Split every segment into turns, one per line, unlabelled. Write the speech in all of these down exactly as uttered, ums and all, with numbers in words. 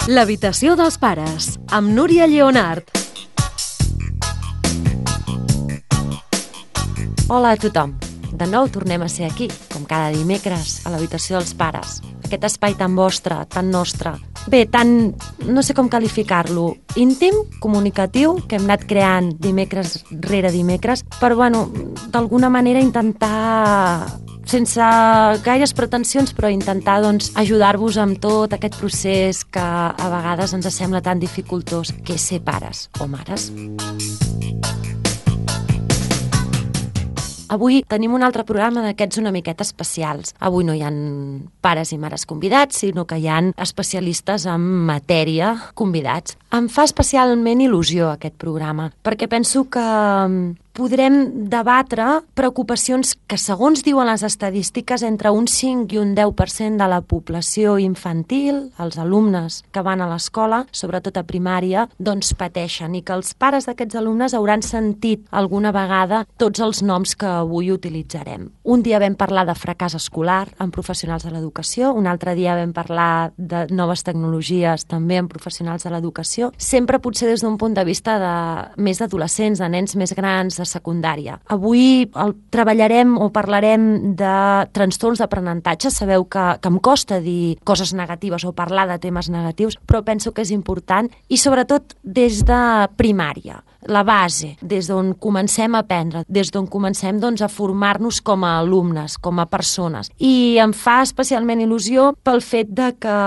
L'habitació dels pares, amb Núria Lleonart.
Hola a tothom. De nou tornem a ser aquí, com cada dimecres, a l'habitació dels pares. Aquest espai tan vostre, tan nostre. Bé, tan... no sé com qualificar-lo. Íntim, comunicatiu, que hem anat creant dimecres rere dimecres, per, bueno, d'alguna manera intentar... sense gaires pretensions, però intentar doncs, ajudar-vos amb tot aquest procés que a vegades ens sembla tan dificultós, que és ser pares o mares. Avui tenim un altre programa d'aquests una miqueta especials. Avui no hi ha pares i mares convidats, sinó que hi ha especialistes en matèria convidats. Em fa especialment il·lusió aquest programa, perquè penso que podrem debatre preocupacions que, segons diuen les estadístiques, entre un cinc i un deu per cent de la població infantil, els alumnes que van a l'escola, sobretot a primària, doncs pateixen, i que els pares d'aquests alumnes hauran sentit alguna vegada tots els noms que avui utilitzarem. Un dia vam parlar de fracàs escolar amb professionals de l'educació, un altre dia vam parlar de noves tecnologies també amb professionals de l'educació, sempre potser des d'un punt de vista de més d'adolescents, de nens més grans, de secundària. Avui el treballarem o parlarem de trastorns d'aprenentatge. Sabeu que, que em costa dir coses negatives o parlar de temes negatius, però penso que és important, i sobretot des de primària. La base, des d'on comencem a aprendre, des d'on comencem doncs, a formar-nos com a alumnes, com a persones. I em fa especialment il·lusió pel fet de que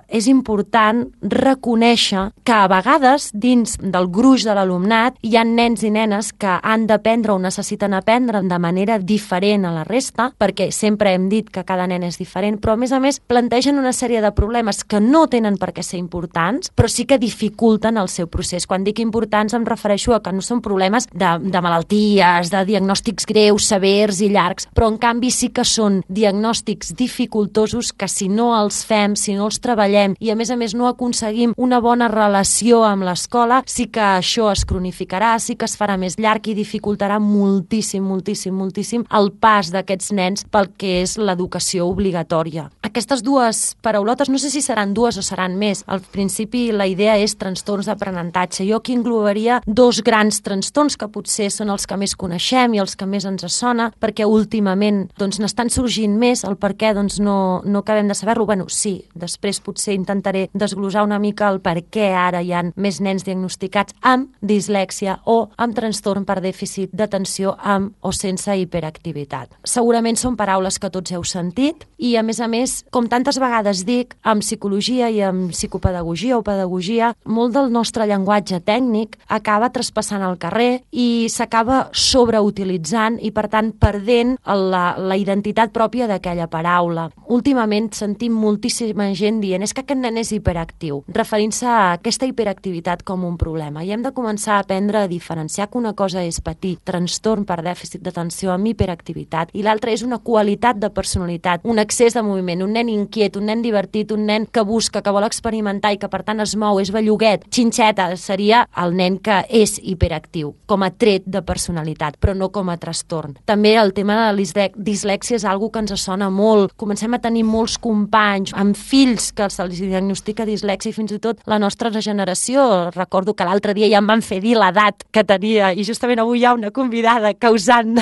és important reconèixer que a vegades dins del gruix de l'alumnat hi ha nens i nenes que han d'aprendre o necessiten aprendre de manera diferent a la resta, perquè sempre hem dit que cada nen és diferent, però a més a més plantegen una sèrie de problemes que no tenen per què ser importants, però sí que dificulten el seu procés. Quan dic importants em refereixo a que no són problemes de, de malalties, de diagnòstics greus, severs i llargs, però en canvi sí que són diagnòstics dificultosos que si no els fem, si no els treballem i a més a més no aconseguim una bona relació amb l'escola, sí que això es cronificarà, sí que es farà més llarg i dificultarà moltíssim, moltíssim, moltíssim el pas d'aquests nens pel que és l'educació obligatòria. Aquestes dues paraulotes, no sé si seran dues o seran més. Al principi la idea és trastorns d'aprenentatge. Jo aquí englobaria dos grans trastorns que potser són els que més coneixem i els que més ens sona, perquè últimament doncs, n'estan sorgint més, el per què doncs, no, no acabem de saber-lo. Bueno, sí, després potser intentaré desglosar una mica el per què ara hi ha més nens diagnosticats amb dislèxia o amb trastorn per dèficit d'atenció amb o sense hiperactivitat. Segurament són paraules que tots heu sentit i, a més a més, com tantes vegades dic, amb psicologia i amb psicopedagogia o pedagogia, molt del nostre llenguatge tècnic acaba traspassant al carrer i s'acaba sobreutilitzant i, per tant, perdent la, la identitat pròpia d'aquella paraula. Últimament sentim moltíssima gent dient és que aquest nen és hiperactiu, referint-se a aquesta hiperactivitat com un problema. I hem de començar a aprendre a diferenciar que una cosa és patir trastorn per dèficit d'atenció amb hiperactivitat i l'altra és una qualitat de personalitat, un excés de moviment, un nen inquiet, un nen divertit, un nen que busca, que vol experimentar i que, per tant, es mou, és belluguet. Xinxeta seria el nen que és hiperactiu, com a tret de personalitat, però no com a trastorn. També el tema de la dislèxia és algo que ens sona molt. Comencem a tenir molts companys amb fills que se'ls diagnostica dislèxia i fins i tot la nostra generació. Recordo que l'altre dia ja em van fer dir l'edat que tenia i justament avui hi ha una convidada causant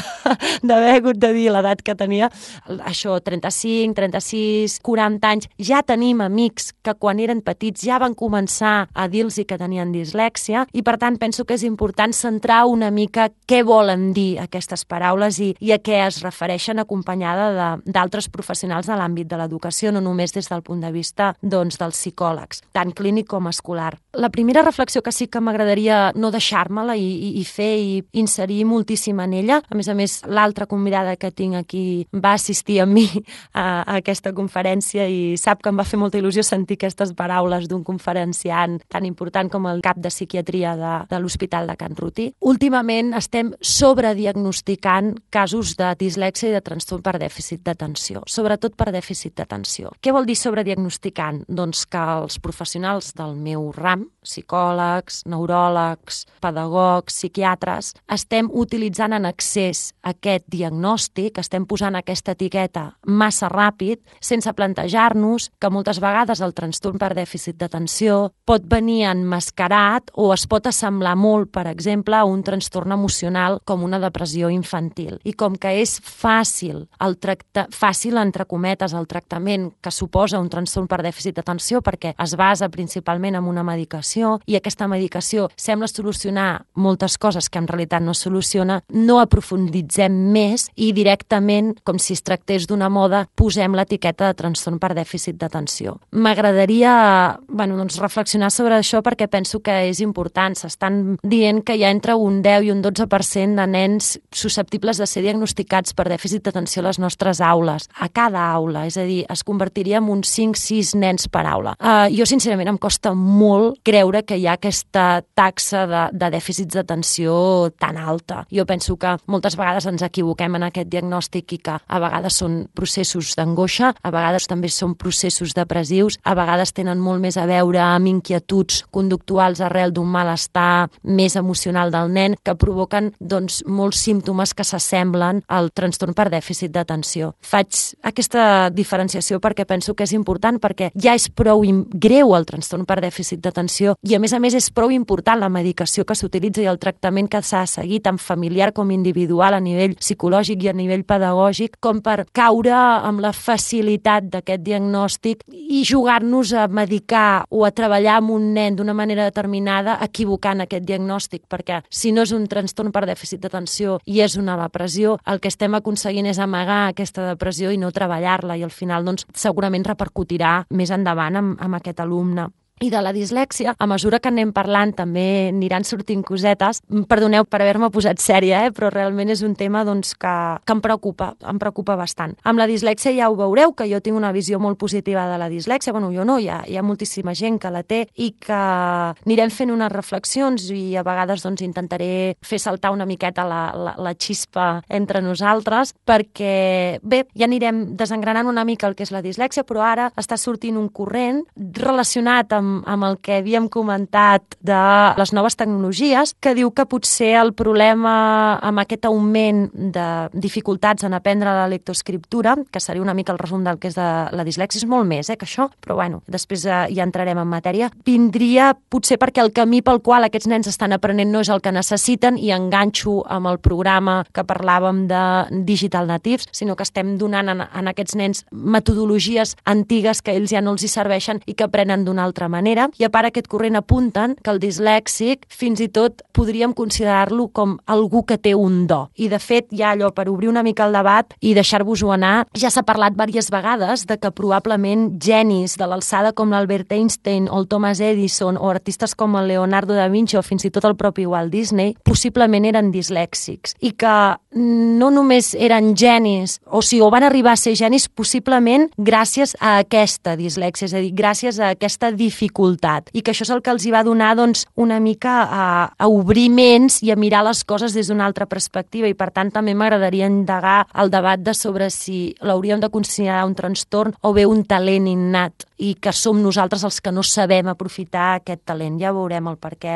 d'haver hagut de dir l'edat que tenia. Això, trenta-cinc, trenta-sis, quaranta anys. Ja tenim amics que quan eren petits ja van començar a dir-los que tenien dislèxia i, per tant, penso que és important centrar una mica què volen dir aquestes paraules i, i a què es refereixen, acompanyada d'altres professionals de l'àmbit de l'educació, no només des del punt de vista doncs, dels psicòlegs, tant clínic com escolar. La primera reflexió que sí que m'agradaria no deixar-me-la i, i, i fer i inserir moltíssim en ella, a més a més l'altra convidada que tinc aquí va assistir amb mi a, a aquesta conferència i sap que em va fer molta il·lusió sentir aquestes paraules d'un conferenciant tan important com el cap de psiquiatria de, de l'Hospital de Can Ruti. Últimament estem sobrediagnosticant casos de dislèxia i de trastorn per dèficit d'atenció, sobretot per dèficit d'atenció. Què vol dir sobrediagnosticant? Doncs que els professionals del meu ram psicòlegs, neuròlegs, pedagogs, psiquiatres, estem utilitzant en excés aquest diagnòstic, estem posant aquesta etiqueta massa ràpid, sense plantejar-nos que moltes vegades el trastorn per dèficit d'atenció pot venir emmascarat o es pot assemblar molt, per exemple, a un trastorn emocional com una depressió infantil. I com que és fàcil, el tracta... fàcil entre cometes, el tractament que suposa un trastorn per dèficit d'atenció perquè es basa principalment en una medicació i aquesta medicació sembla solucionar moltes coses que en realitat no soluciona, no aprofunditzem més i directament, com si es tractés d'una moda, posem l'etiqueta de trastorn per dèficit d'atenció. M'agradaria bueno, doncs reflexionar sobre això perquè penso que és important. S'estan dient que hi ha entre un deu i un dotze per cent de nens susceptibles de ser diagnosticats per dèficit d'atenció a les nostres aules, a cada aula, és a dir, es convertiria en uns cinc sis nens per aula. Uh, jo, sincerament, em costa molt creure que hi ha aquesta taxa de, de dèficits d'atenció tan alta. Jo penso que moltes vegades ens equivoquem en aquest diagnòstic i que a vegades són processos d'angoixa, a vegades també són processos depressius, a vegades tenen molt més a veure amb inquietuds conductuals arrel d'un malestar més emocional del nen que provoquen doncs, molts símptomes que s'assemblen al trastorn per dèficit d'atenció. Faig aquesta diferenciació perquè penso que és important, perquè ja és prou greu el trastorn per dèficit d'atenció i, a més a més, és prou important la medicació que s'utilitza i el tractament que s'ha seguit tant familiar com individual a nivell psicològic i a nivell pedagògic com per caure amb la facilitat d'aquest diagnòstic i jugar-nos a medicar o a treballar amb un nen d'una manera determinada equivocant aquest diagnòstic, perquè si no és un trastorn per dèficit d'atenció i és una depressió, el que estem aconseguint és amagar aquesta depressió i no treballar-la i al final doncs, segurament repercutirà més endavant amb, amb aquest alumne. I de la dislèxia, a mesura que anem parlant també aniran sortint cosetes. Perdoneu per haver-me posat sèria, eh? Però realment és un tema doncs, que, que em preocupa, em preocupa bastant. Amb la dislèxia ja ho veureu, que jo tinc una visió molt positiva de la dislèxia. Bueno, jo no, hi ha, hi ha moltíssima gent que la té i que anirem fent unes reflexions i a vegades doncs, intentaré fer saltar una miqueta la, la, la xispa entre nosaltres perquè, bé, ja anirem desengranant una mica el que és la dislèxia, però ara està sortint un corrent relacionat amb amb el que havíem comentat de les noves tecnologies, que diu que potser el problema amb aquest augment de dificultats en aprendre la lectoescriptura, que seria una mica el resum del que és de la dislèxia, és molt més eh, que això, però bueno, després eh, ja entrarem en matèria, vindria potser perquè el camí pel qual aquests nens estan aprenent no és el que necessiten i enganxo amb el programa que parlàvem de Digital Natives, sinó que estem donant en, en aquests nens metodologies antigues que ells ja no els hi serveixen i que aprenen d'una altra manera. I a part aquest corrent apunten que el dislèxic fins i tot podríem considerar-lo com algú que té un do. I de fet ja allò per obrir una mica el debat i deixar-vos-ho anar, ja s'ha parlat diverses vegades de que probablement genis de l'alçada com l'Albert Einstein o el Thomas Edison o artistes com el Leonardo da Vinci o fins i tot el propi Walt Disney possiblement eren dislèxics i que no només eren genis o si o van arribar a ser genis possiblement gràcies a aquesta dislèxia, és a dir, gràcies a aquesta dificultat i que això és el que els hi va donar doncs, una mica a, a obrir ments i a mirar les coses des d'una altra perspectiva i per tant també m'agradaria indagar el debat de sobre si l'hauríem de considerar un trastorn o bé un talent innat i que som nosaltres els que no sabem aprofitar aquest talent. Ja veurem el per què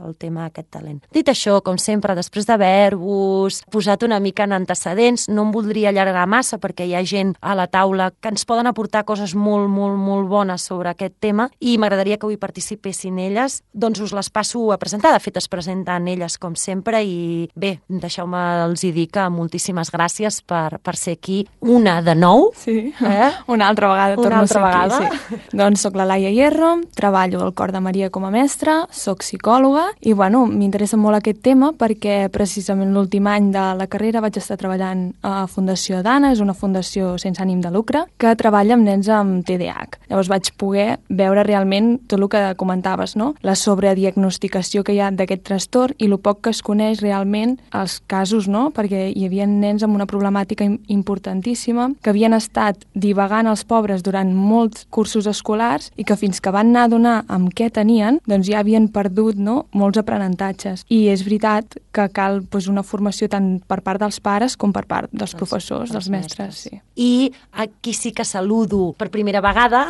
el tema d'aquest talent. Dit això, com sempre, després d'haver-vos posat una mica en antecedents, no em voldria allargar massa perquè hi ha gent a la taula que ens poden aportar coses molt, molt, molt bones sobre aquest tema i m'agradaria que avui participessin elles, doncs us les passo a presentar. De fet, es presenten elles com sempre i bé, deixeu-me els hi dir que moltíssimes gràcies per, per ser aquí una de nou.
Sí,
eh?
una altra vegada torno
una altra
a ser
vegada.
aquí. Sí. Doncs soc la Laia Hierro, treballo al Cor de Maria com a mestra, soc psicòloga i bueno, m'interessa molt aquest tema perquè precisament l'últim any de la carrera vaig estar treballant a Fundació Dana, és una fundació sense ànim de lucre que treballa amb nens amb T D A H. Llavors vaig poder veure realment tot el que comentaves, no? La sobrediagnosticació que hi ha d'aquest trastorn i el poc que es coneix realment els casos, no? Perquè hi havia nens amb una problemàtica importantíssima que havien estat divagant els pobres durant molts cursos escolars i que fins que van anar a donar amb què tenien, doncs ja havien perdut, no? Molts aprenentatges. I és veritat que cal pues, una formació tant per part dels pares com per part dels professors, dels, dels mestres. Sí.
I aquí sí que saludo per primera vegada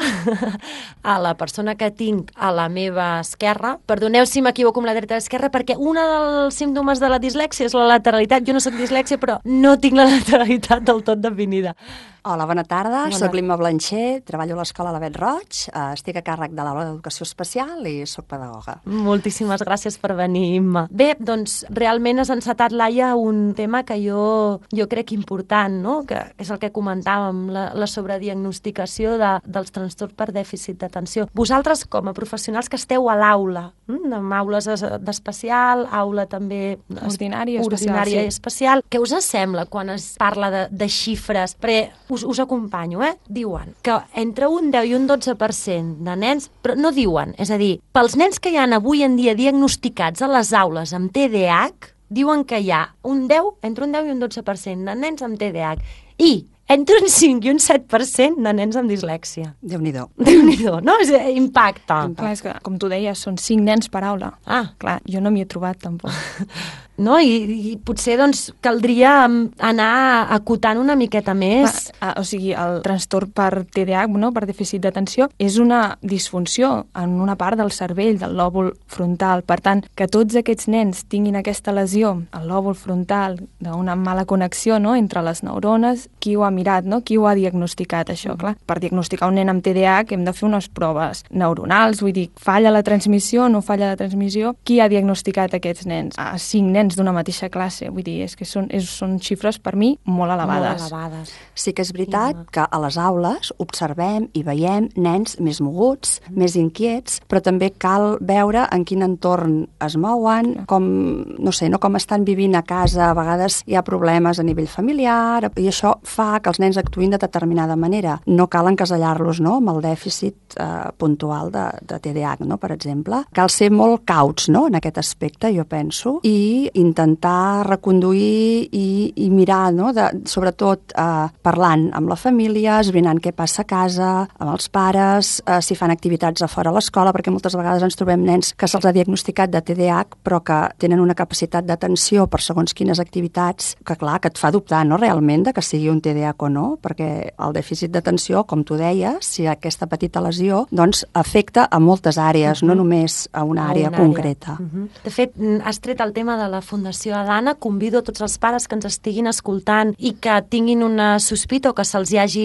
a la persona que tinc a la meva esquerra. Perdoneu si m'equivoco amb la dreta i l'esquerra, perquè un dels símptomes de la dislèxia és la lateralitat. Jo no soc dislèxia, però no tinc la lateralitat del tot definida.
Hola, bona tarda.
Bona.
Soc l'Imma Blancher, treballo a l'escola Lavet Roig, eh, estic a càrrec de l'aula d'educació especial i soc pedagoga.
Moltíssimes gràcies per venir, Imma. Bé, doncs realment has encetat, Laia, un tema que jo, jo crec important, no? Que és el que comentàvem, la, la sobrediagnosticació de, dels trastorns per dèficit d'atenció. Vosaltres, com a professionals que esteu a l'aula, hm? amb aules d'especial, aula també
ordinària,
ordinària
especial,
i especial, què us sembla quan es parla de, de xifres? Perquè Us, us acompanyo, eh? Diuen que entre un deu i un dotze per cent de nens, però no diuen, és a dir, pels nens que hi ha avui en dia diagnosticats a les aules amb T D A H, diuen que hi ha un deu, entre un deu i un dotze per cent de nens amb T D A H i entre un cinc i un set per cent de nens amb dislèxia.
Déu-n'hi-do.
Déu-n'hi-do, no? És impacte.
Clar, és que, com tu deies, són cinc nens per aula.
Ah.
Clar, jo no m'hi he trobat, tampoc.
No? I, i potser doncs, caldria anar acotant una miqueta més.
Va, o sigui, el trastorn per T D A H, no, per dèficit d'atenció, és una disfunció en una part del cervell, del lòbul frontal. Per tant, que tots aquests nens tinguin aquesta lesió al lòbul frontal d'una mala connexió, no, entre les neurones, qui ho ha mirat, no? Qui ho ha diagnosticat, això? Clar, per diagnosticar un nen amb T D A H hem de fer unes proves neuronals, vull dir, falla la transmissió, no falla la transmissió. Qui ha diagnosticat aquests nens? A cinc nens d'una mateixa classe, vull dir, és que són, és, són xifres per mi molt elevades.
Molt elevades.
Sí que és veritat que a les aules observem i veiem nens més moguts, mm. més inquiets, però també cal veure en quin entorn es mouen, com, no sé, no com estan vivint a casa, a vegades hi ha problemes a nivell familiar, i això fa que els nens actuïn de determinada manera. No cal encasellar-los, no?, amb el dèficit eh, puntual de, de T D A H, no?, per exemple. Cal ser molt cauts, no?, en aquest aspecte, jo penso, i intentar reconduir i, i mirar, no?, de, sobretot eh, parlant amb la família, esbrinant què passa a casa, amb els pares, eh, si fan activitats a fora a l'escola, perquè moltes vegades ens trobem nens que se'ls ha diagnosticat de T D A H, però que tenen una capacitat d'atenció per segons quines activitats, que clar, que et fa dubtar, no?, realment, de que sigui un T D A H o no, perquè el dèficit d'atenció, com tu deies, si aquesta petita lesió, doncs afecta a moltes àrees, uh-huh. no només a una àrea a una concreta.
Àrea. Uh-huh. De fet, has tret el tema de la Fundació Adana. Convido a tots els pares que ens estiguin escoltant i que tinguin una sospita o que se'ls hi hagi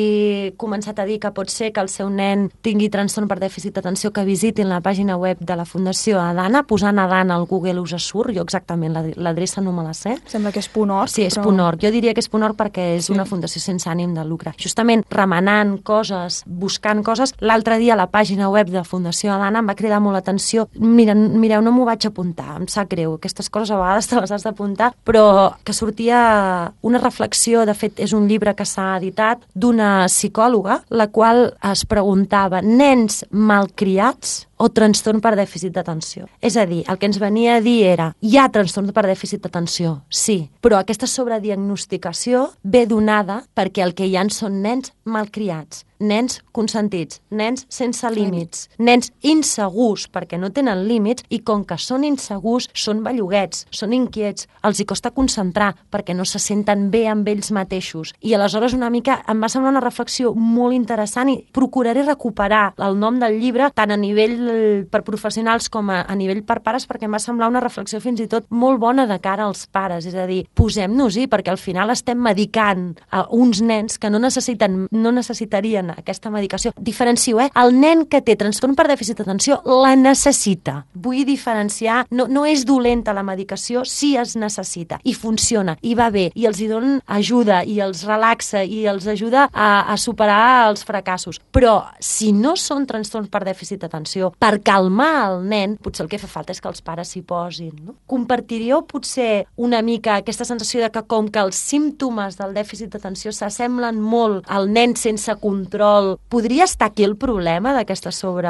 començat a dir que pot ser que el seu nen tingui trastorn per dèficit d'atenció, que visitin la pàgina web de la Fundació Adana, posant Adana al Google us surt, jo exactament l'adreça no me la sé.
Sembla que és punt org.
Sí, és
però...
punt org. Jo diria que és punt org perquè és sí. una fundació sense ànim de lucre. Justament remenant coses, buscant coses, l'altre dia a la pàgina web de la Fundació Adana em va cridar molt l'atenció. Mira, mireu, no m'ho vaig apuntar, em sap greu. Aquestes coses a vegades te les has d'apuntar, però que sortia una reflexió, de fet és un llibre que s'ha editat, d'una psicòloga, la qual es preguntava, nens malcriats o trastorn per dèficit d'atenció? És a dir, el que ens venia a dir era, hi ha trastorn per dèficit d'atenció, sí, però aquesta sobrediagnosticació ve donada perquè el que hi ha són nens malcriats, nens consentits, nens sense límits, nens insegurs perquè no tenen límits i com que són insegurs, són belluguets, són inquiets, els hi costa concentrar perquè no se senten bé amb ells mateixos. I aleshores una mica em va semblar una reflexió molt interessant i procuraré recuperar el nom del llibre tant a nivell per professionals com a, a nivell per pares perquè em va semblar una reflexió fins i tot molt bona de cara als pares, és a dir, posem-nos-hi perquè al final estem medicant a uns nens que no necessiten, no necessitarien aquesta medicació. Diferencio, eh? El nen que té trastorn per dèficit d'atenció la necessita. Vull diferenciar, no, no és dolenta la medicació, sí es necessita i funciona, i va bé, i els hi donen ajuda, i els relaxa, i els ajuda a, a superar els fracassos. Però si no són trastorns per dèficit d'atenció, per calmar el nen, potser el que fa falta és que els pares s'hi posin. No? Compartiríeu potser una mica aquesta sensació de que com que els símptomes del dèficit d'atenció s'assemblen molt al nen sense control, podria estar aquí el problema d'aquesta sobre...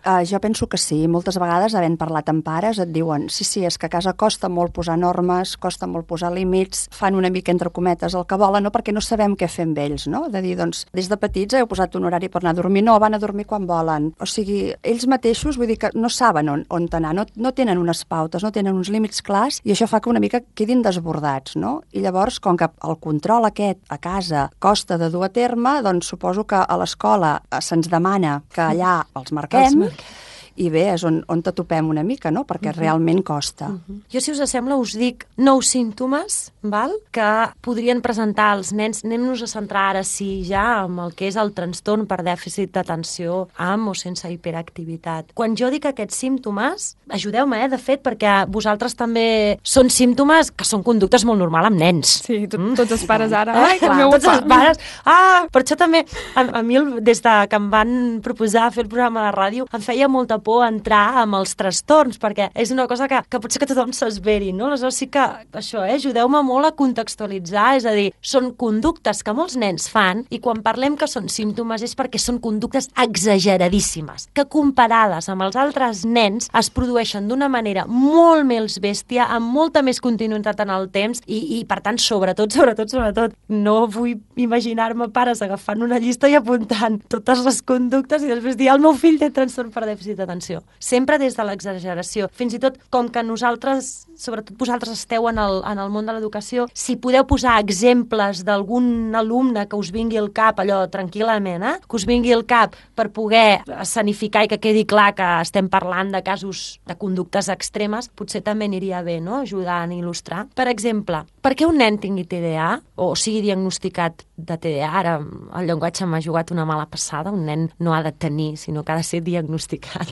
Uh, jo penso que sí. Moltes vegades, havent parlat amb pares, et diuen sí, sí, és que a casa costa molt posar normes, costa molt posar límits, fan una mica entre cometes el que volen, no? Perquè no sabem què fer amb ells, no? De dir, doncs, des de petits heu posat un horari per anar a dormir, no, van a dormir quan volen. O sigui, ells mateixos mateixos, vull dir que no saben on, on anar, no, no tenen unes pautes, no tenen uns límits clars, i això fa que una mica quedin desbordats, no? I llavors, com que el control aquest a casa costa de dur a terme, doncs suposo que a l'escola se'ns demana que allà els marquem, els marquem. I bé, és on, on t'atopem una mica, no? Perquè uh -huh. realment costa. Uh
-huh. Jo, si us sembla, us dic nou símptomes, val? Que podrien presentar els nens. Anem-nos a centrar ara, sí, ja amb el que és el trastorn per dèficit d'atenció amb o sense hiperactivitat. Quan jo dic aquests símptomes, ajudeu-me, eh, de fet, perquè vosaltres també són símptomes que són conductes molt normals amb nens.
Sí, tot, mm? tots els pares ara.
Ai, clar, meu tots els pares. Ah, per això també, a, a mi, des de que em van proposar fer el programa de ràdio, em feia molta por entrar amb els trastorns, perquè és una cosa que, que potser que tothom s'esveri, no? Aleshores sí que, això, eh, ajudeu-me molt a contextualitzar, és a dir, són conductes que molts nens fan, i quan parlem que són símptomes és perquè són conductes exageradíssimes, que comparades amb els altres nens es produeixen d'una manera molt més bèstia, amb molta més continuïtat en el temps, i, i per tant, sobretot, sobretot, sobretot, no vull imaginar-me pares agafant una llista i apuntant totes les conductes i després dir, el meu fill té trastorn per dèficit d'atenció. Sempre des de l'exageració. Fins i tot, com que nosaltres, sobretot vosaltres esteu en el, en el món de l'educació, si podeu posar exemples d'algun alumne que us vingui al cap, allò, tranquil·lament, eh? que us vingui al cap per poder escenificar i que quedi clar que estem parlant de casos de conductes extremes, potser també aniria bé, no?, ajudant a il·lustrar. Per exemple, per què un nen tingui T D A o sigui diagnosticat de T D A, ara el llenguatge m'ha jugat una mala passada, un nen no ha de tenir, sinó que ha de ser diagnosticat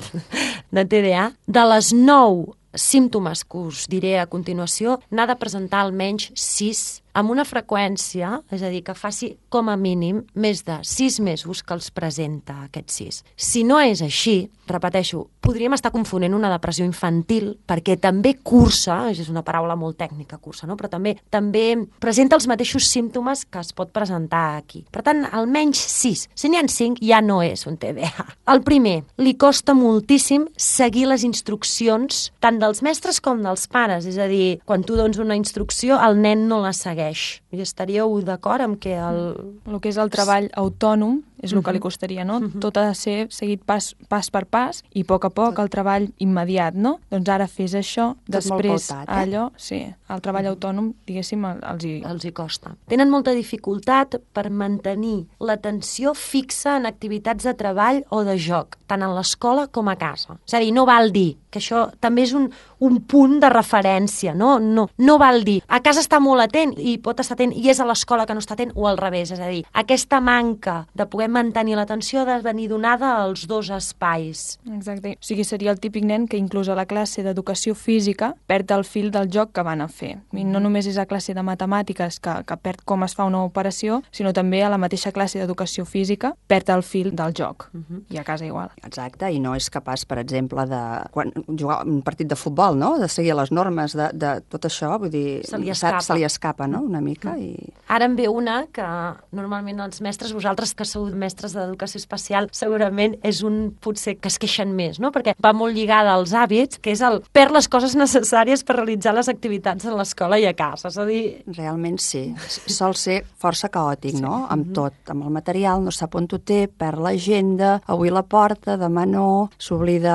de T D A, de les nou símptomes que us diré a continuació, n'ha de presentar almenys sis amb una freqüència, és a dir, que faci com a mínim més de sis mesos que els presenta aquests sis. Si no és així, repeteixo, podríem estar confonent una depressió infantil, perquè també cursa, és una paraula molt tècnica, cursa, no? Però també també presenta els mateixos símptomes que es pot presentar aquí. Per tant, almenys sis. Si n'hi ha cinc, ja no és un T D A. El primer, li costa moltíssim seguir les instruccions tant dels mestres com dels pares, és a dir, quan tu dones una instrucció, el nen no la segueix. I estaríeu d'acord amb que el...
El que és el treball autònom és el que li costaria, no? Uh-huh. Tot ha de ser seguit pas, pas per pas i a poc a poc el treball immediat, no? Doncs ara fes això, tot després pautat, eh? Allò, sí, el treball autònom, diguéssim, els hi...
Els hi costa. Tenen molta dificultat per mantenir l'atenció fixa en activitats de treball o de joc, tant en l'escola com a casa. És a dir, no val dir, que això també és un, un punt de referència, no? No, no val dir, a casa està molt atent i pot estar atent i és a l'escola que no està atent, o al revés, és a dir, aquesta manca de poder mantenir l'atenció ha de venir donada als dos espais.
Exacte. O sigui, seria el típic nen que inclús a la classe d'educació física perd el fil del joc que van a fer. I no només és a classe de matemàtiques que, que perd com es fa una operació, sinó també a la mateixa classe d'educació física perd el fil del joc. Uh-huh. I a casa igual.
Exacte, i no és capaç, per exemple, de quan jugar un partit de futbol, no?, de seguir les normes de, de tot això, vull dir,
se li escapa,
se li escapa, no?, una mica. I...
Ara en ve una que normalment els mestres, vosaltres que sou mestres d'educació especial, segurament és un potser que es queixen més, no?, perquè va molt lligada als hàbits, que és el perd les coses necessàries per realitzar les activitats a l'escola i a casa, és a dir...
Realment sí, sol ser força caòtic, sí. no?, amb tot, amb el material, no sap on ho té, perd l'agenda, avui la porta, demà no, s'oblida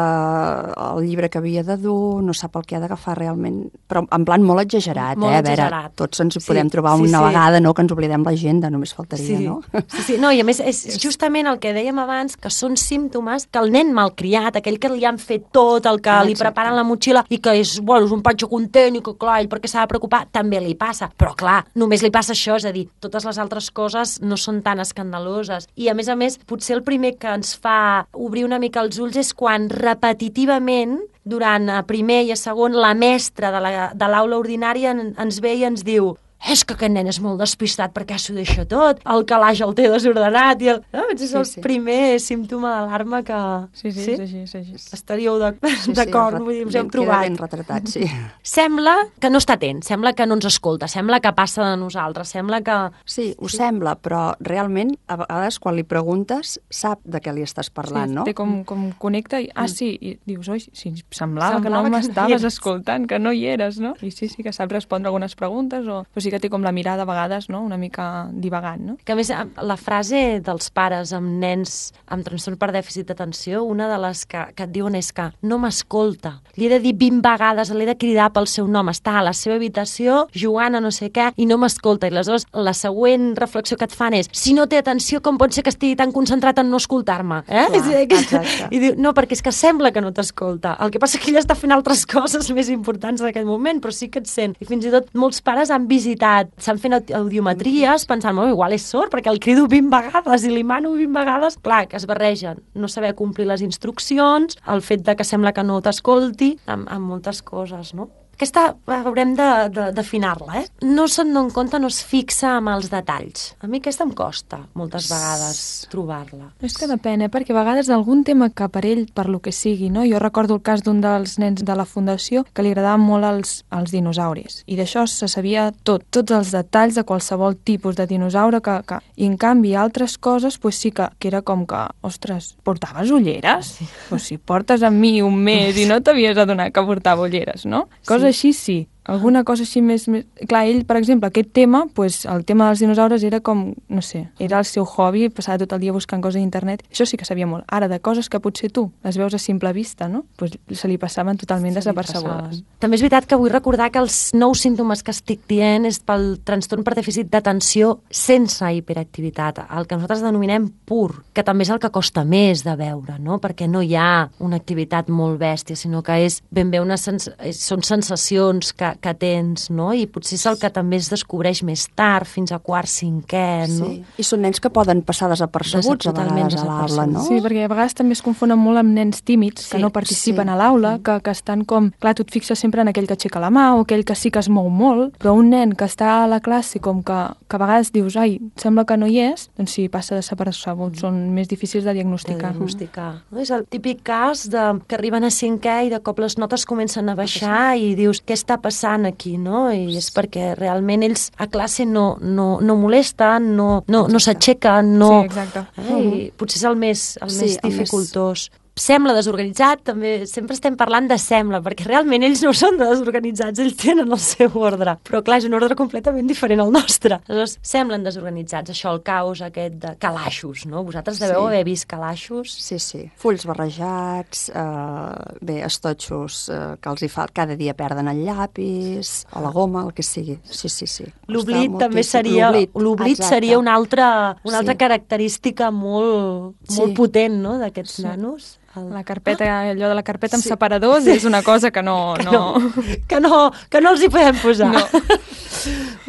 el llibre que havia de dur, no sap el que ha d'agafar realment, però en plan molt exagerat,
molt
eh?
Exagerat.
A veure, tots ens hi podem
sí,
trobar
sí,
una
sí.
vegada, no?, que ens oblidem l'agenda, només faltaria,
sí.
no?
Sí, sí, no, i a més és justament el que dèiem abans, que són símptomes que el nen malcriat, aquell que li han fet tot, el que ah, li preparen la motxilla i que és, bueno, és un patxo content i que, clar, ell perquè s'ha de preocupar, també li passa. Però, clar, només li passa això, és a dir, totes les altres coses no són tan escandaloses. I, a més a més, potser el primer que ens fa obrir una mica els ulls és quan repetitivament durant a primer i a segon, la mestra de la, de l'aula ordinària en, ens ve i ens diu és que aquest nen és molt despistat perquè s'ho deixa tot, el calaix el té desordenat i el... No, és el sí, sí. primer símptoma d'alarma que...
Sí, sí, sí? és així, és així.
Estaríeu d'acord, sí, sí, vull dir, us heu trobat.
Ben retratat, sí.
Sembla que no està atent, sembla que no ens escolta, sembla que passa de nosaltres, sembla que...
Sí, ho sí. sembla, però realment a vegades quan li preguntes sap de què li estàs parlant,
sí,
no?
Té com, com connecta i, ah, sí, i dius, oi, sí, semblava, semblava que no m'estaves no escoltant, que no hi eres, no? I sí, sí, que sap respondre algunes preguntes, o, o sí que té com la mirada a vegades, no?, una mica divagant, no?
Que a més, la frase dels pares amb nens amb trastorn per dèficit d'atenció, una de les que, que et diuen és que no m'escolta. Li he de dir vint vegades, l'he de cridar pel seu nom, està a la seva habitació jugant a no sé què i no m'escolta. I aleshores la següent reflexió que et fan és: si no té atenció, com pot ser que estigui tan concentrat en no escoltar-me? Eh?
Clar, exacte.
I diu, no, perquè és que sembla que no t'escolta. El que passa és que ella està fent altres coses més importants en aquell moment, però sí que et sent. I fins i tot molts pares han visitat, s'han fet audiometries pensant, oh, igual és sord, perquè el crido vint vegades i li mano vint vegades. Clar, que es barregen no saber complir les instruccions, el fet de que sembla que no t'escolti, amb, amb moltes coses, no? Aquesta haurem d'afinar-la, eh? No se'n dona compte, no es fixa amb els detalls. A mi aquesta em costa, moltes vegades, trobar-la.
És que depèn, eh? Perquè a vegades algun tema que per ell, per lo que sigui, no? Jo recordo el cas d'un dels nens de la fundació que li agradaven molt els, els dinosauris. I d'això se sabia tot, tots els detalls de qualsevol tipus de dinosaure que... que... I en canvi, altres coses, pues sí que, que era com que, ostres, portaves ulleres? Sí. Pues si portes amb mi un mes i no t'havies adonat que portava ulleres, no? Coses així sí. Alguna cosa així més, més... Clar, ell, per exemple, aquest tema, pues, el tema dels dinosaures era com, no sé, era el seu hobby, passava tot el dia buscant coses a internet. Això sí que sabia molt. Ara, de coses que potser tu les veus a simple vista, no? Pues se li passaven totalment desapercebudes.
També és veritat que vull recordar que els nous símptomes que estic dient és pel trastorn per dèficit d'atenció sense hiperactivitat, el que nosaltres denominem pur, que també és el que costa més de veure, no? Perquè no hi ha una activitat molt bèstia, sinó que és ben bé una sens... són sensacions que que tens, no? I potser és el que també es descobreix més tard, fins a quart, cinquè, no?
Sí, i són nens que poden passar desapercebuts a vegades a l'aula, no?
Sí, perquè a vegades també es confonen molt amb nens tímids, que sí, no participen sí, a l'aula, sí. que, que estan com... Clar, tu et fixes sempre en aquell que aixeca la mà o aquell que sí que es mou molt, però un nen que està a la classe com que, que a vegades dius, ai, sembla que no hi és, doncs sí, passa desapercebut, són més difícils de diagnosticar.
De diagnosticar. No? És el típic cas de que arriben a cinquè i de cop les notes comencen a baixar i dius, què està passant aquí, no? I és perquè realment ells a classe no, no, no molesten, no, no, no s'aixequen, no...
Sí, exacte.
Eh? I potser és el més, el
sí,
més dificultós. Més... Sembla desorganitzat, també sempre estem parlant de sembla, perquè realment ells no són desorganitzats, ells tenen el seu ordre, però clar, és un ordre completament diferent al nostre. Aleshores, semblen desorganitzats, això, el caos aquest de calaixos, no? Vosaltres deveu sí. haver vist calaixos?
Sí, sí. Fulls barrejats, eh, bé, estotxos eh, que els hi fa, cada dia perden el llapis, o la goma, el que sigui. Sí, sí, sí.
L'oblit també seria, l'oblit seria una altra, una altra sí. característica molt, molt sí. potent, no?, d'aquests sí. nanos.
El... La carpeta, allò de la carpeta amb sí. separadors sí. és una cosa que no...
Que
no...
no, que no, que no els hi podem posar. No.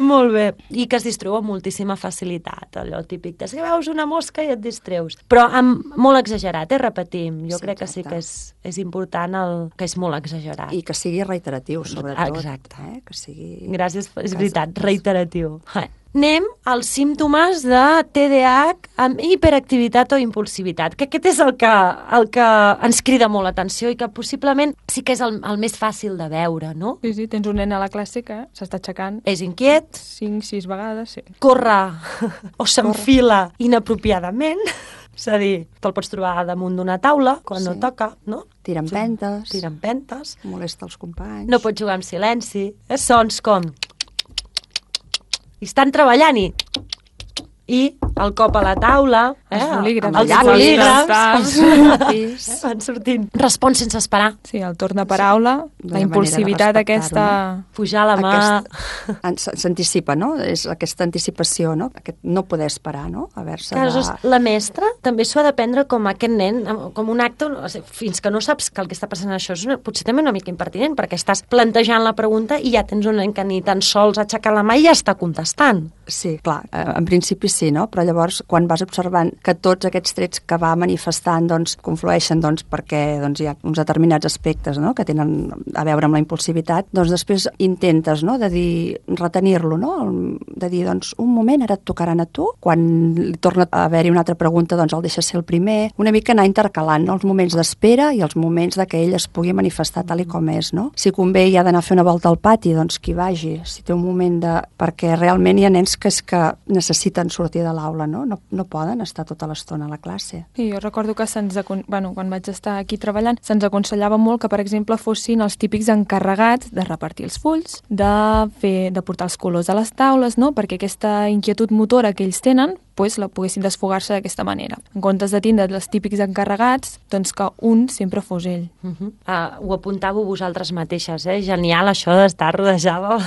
Molt bé. I que es distreu amb moltíssima facilitat, allò típic. És que veus una mosca i et distreus. Però amb molt exagerat, eh, repetim. Jo sí, crec que exacte. sí que és, és important el, que és molt exagerat.
I que sigui reiteratiu, sobretot.
Exacte.
Eh? Que sigui...
Gràcies, és veritat, reiteratiu. Eh. Anem als símptomes de T D A H amb hiperactivitat o impulsivitat, que aquest és el que, el que ens crida molt l'atenció i que possiblement sí que és el, el més fàcil de veure, no?
Sí, sí, tens un nen a la classe que s'està aixecant.
És inquiet.
Cinc, sis vegades, sí.
Corre o s'enfila inapropiadament. És a dir, te'l pots trobar damunt d'una taula quan sí. no toca, no?
Tira empentes.
Tira empentes.
Molesta els companys.
No pots jugar en silenci. Eh? Sons com... I estan treballant i... I el cop a la taula, eh?
els bolígrafs,
els
els
bolígrafs van sortint. Respon sense esperar.
Sí, el torn de paraula, sí. la impulsivitat aquesta...
No? Pujar la mà...
Aquest... S'anticipa, no? És aquesta anticipació, no? Aquest no poder esperar, no? Haver-se
de... La mestra també s'ho ha de prendre com aquest nen, com un acte, fins que no saps que el que està passant això és una, potser també una mica impertinent, perquè estàs plantejant la pregunta i ja tens un nen que ni tan sols ha aixecat la mà i ja està contestant.
Sí, clar, en principi sí, no? Però llavors, quan vas observant que tots aquests trets que va manifestant doncs, conflueixen doncs, perquè doncs, hi ha uns determinats aspectes, no?, que tenen a veure amb la impulsivitat, doncs després intentes, no?, de dir, retenir-lo, no?, de dir, doncs, un moment, ara et tocaran a tu, quan li torna a haver-hi una altra pregunta, doncs el deixes ser el primer, una mica anar intercalant, no?, els moments d'espera i els moments de que ell es pugui manifestar tal i com és, no? Si convé i ha d'anar a fer una volta al pati, doncs qui vagi, si té un moment de... perquè realment hi ha nens que és que necessiten sortir sortir de l'aula, no? No, no poden estar tota l'estona a la classe.
Sí, jo recordo que se'ns, bueno, quan vaig estar aquí treballant, se'ns aconsellava molt que, per exemple, fossin els típics encarregats de repartir els fulls, de fer, de portar els colors a les taules, no? Perquè aquesta inquietud motora que ells tenen, pues, la poguessin desfogar-se d'aquesta manera. En comptes de tindre els típics encarregats, doncs que un sempre fos ell.
Uh -huh. uh, ho apuntàveu vosaltres mateixes, eh? Genial això d'estar rodejada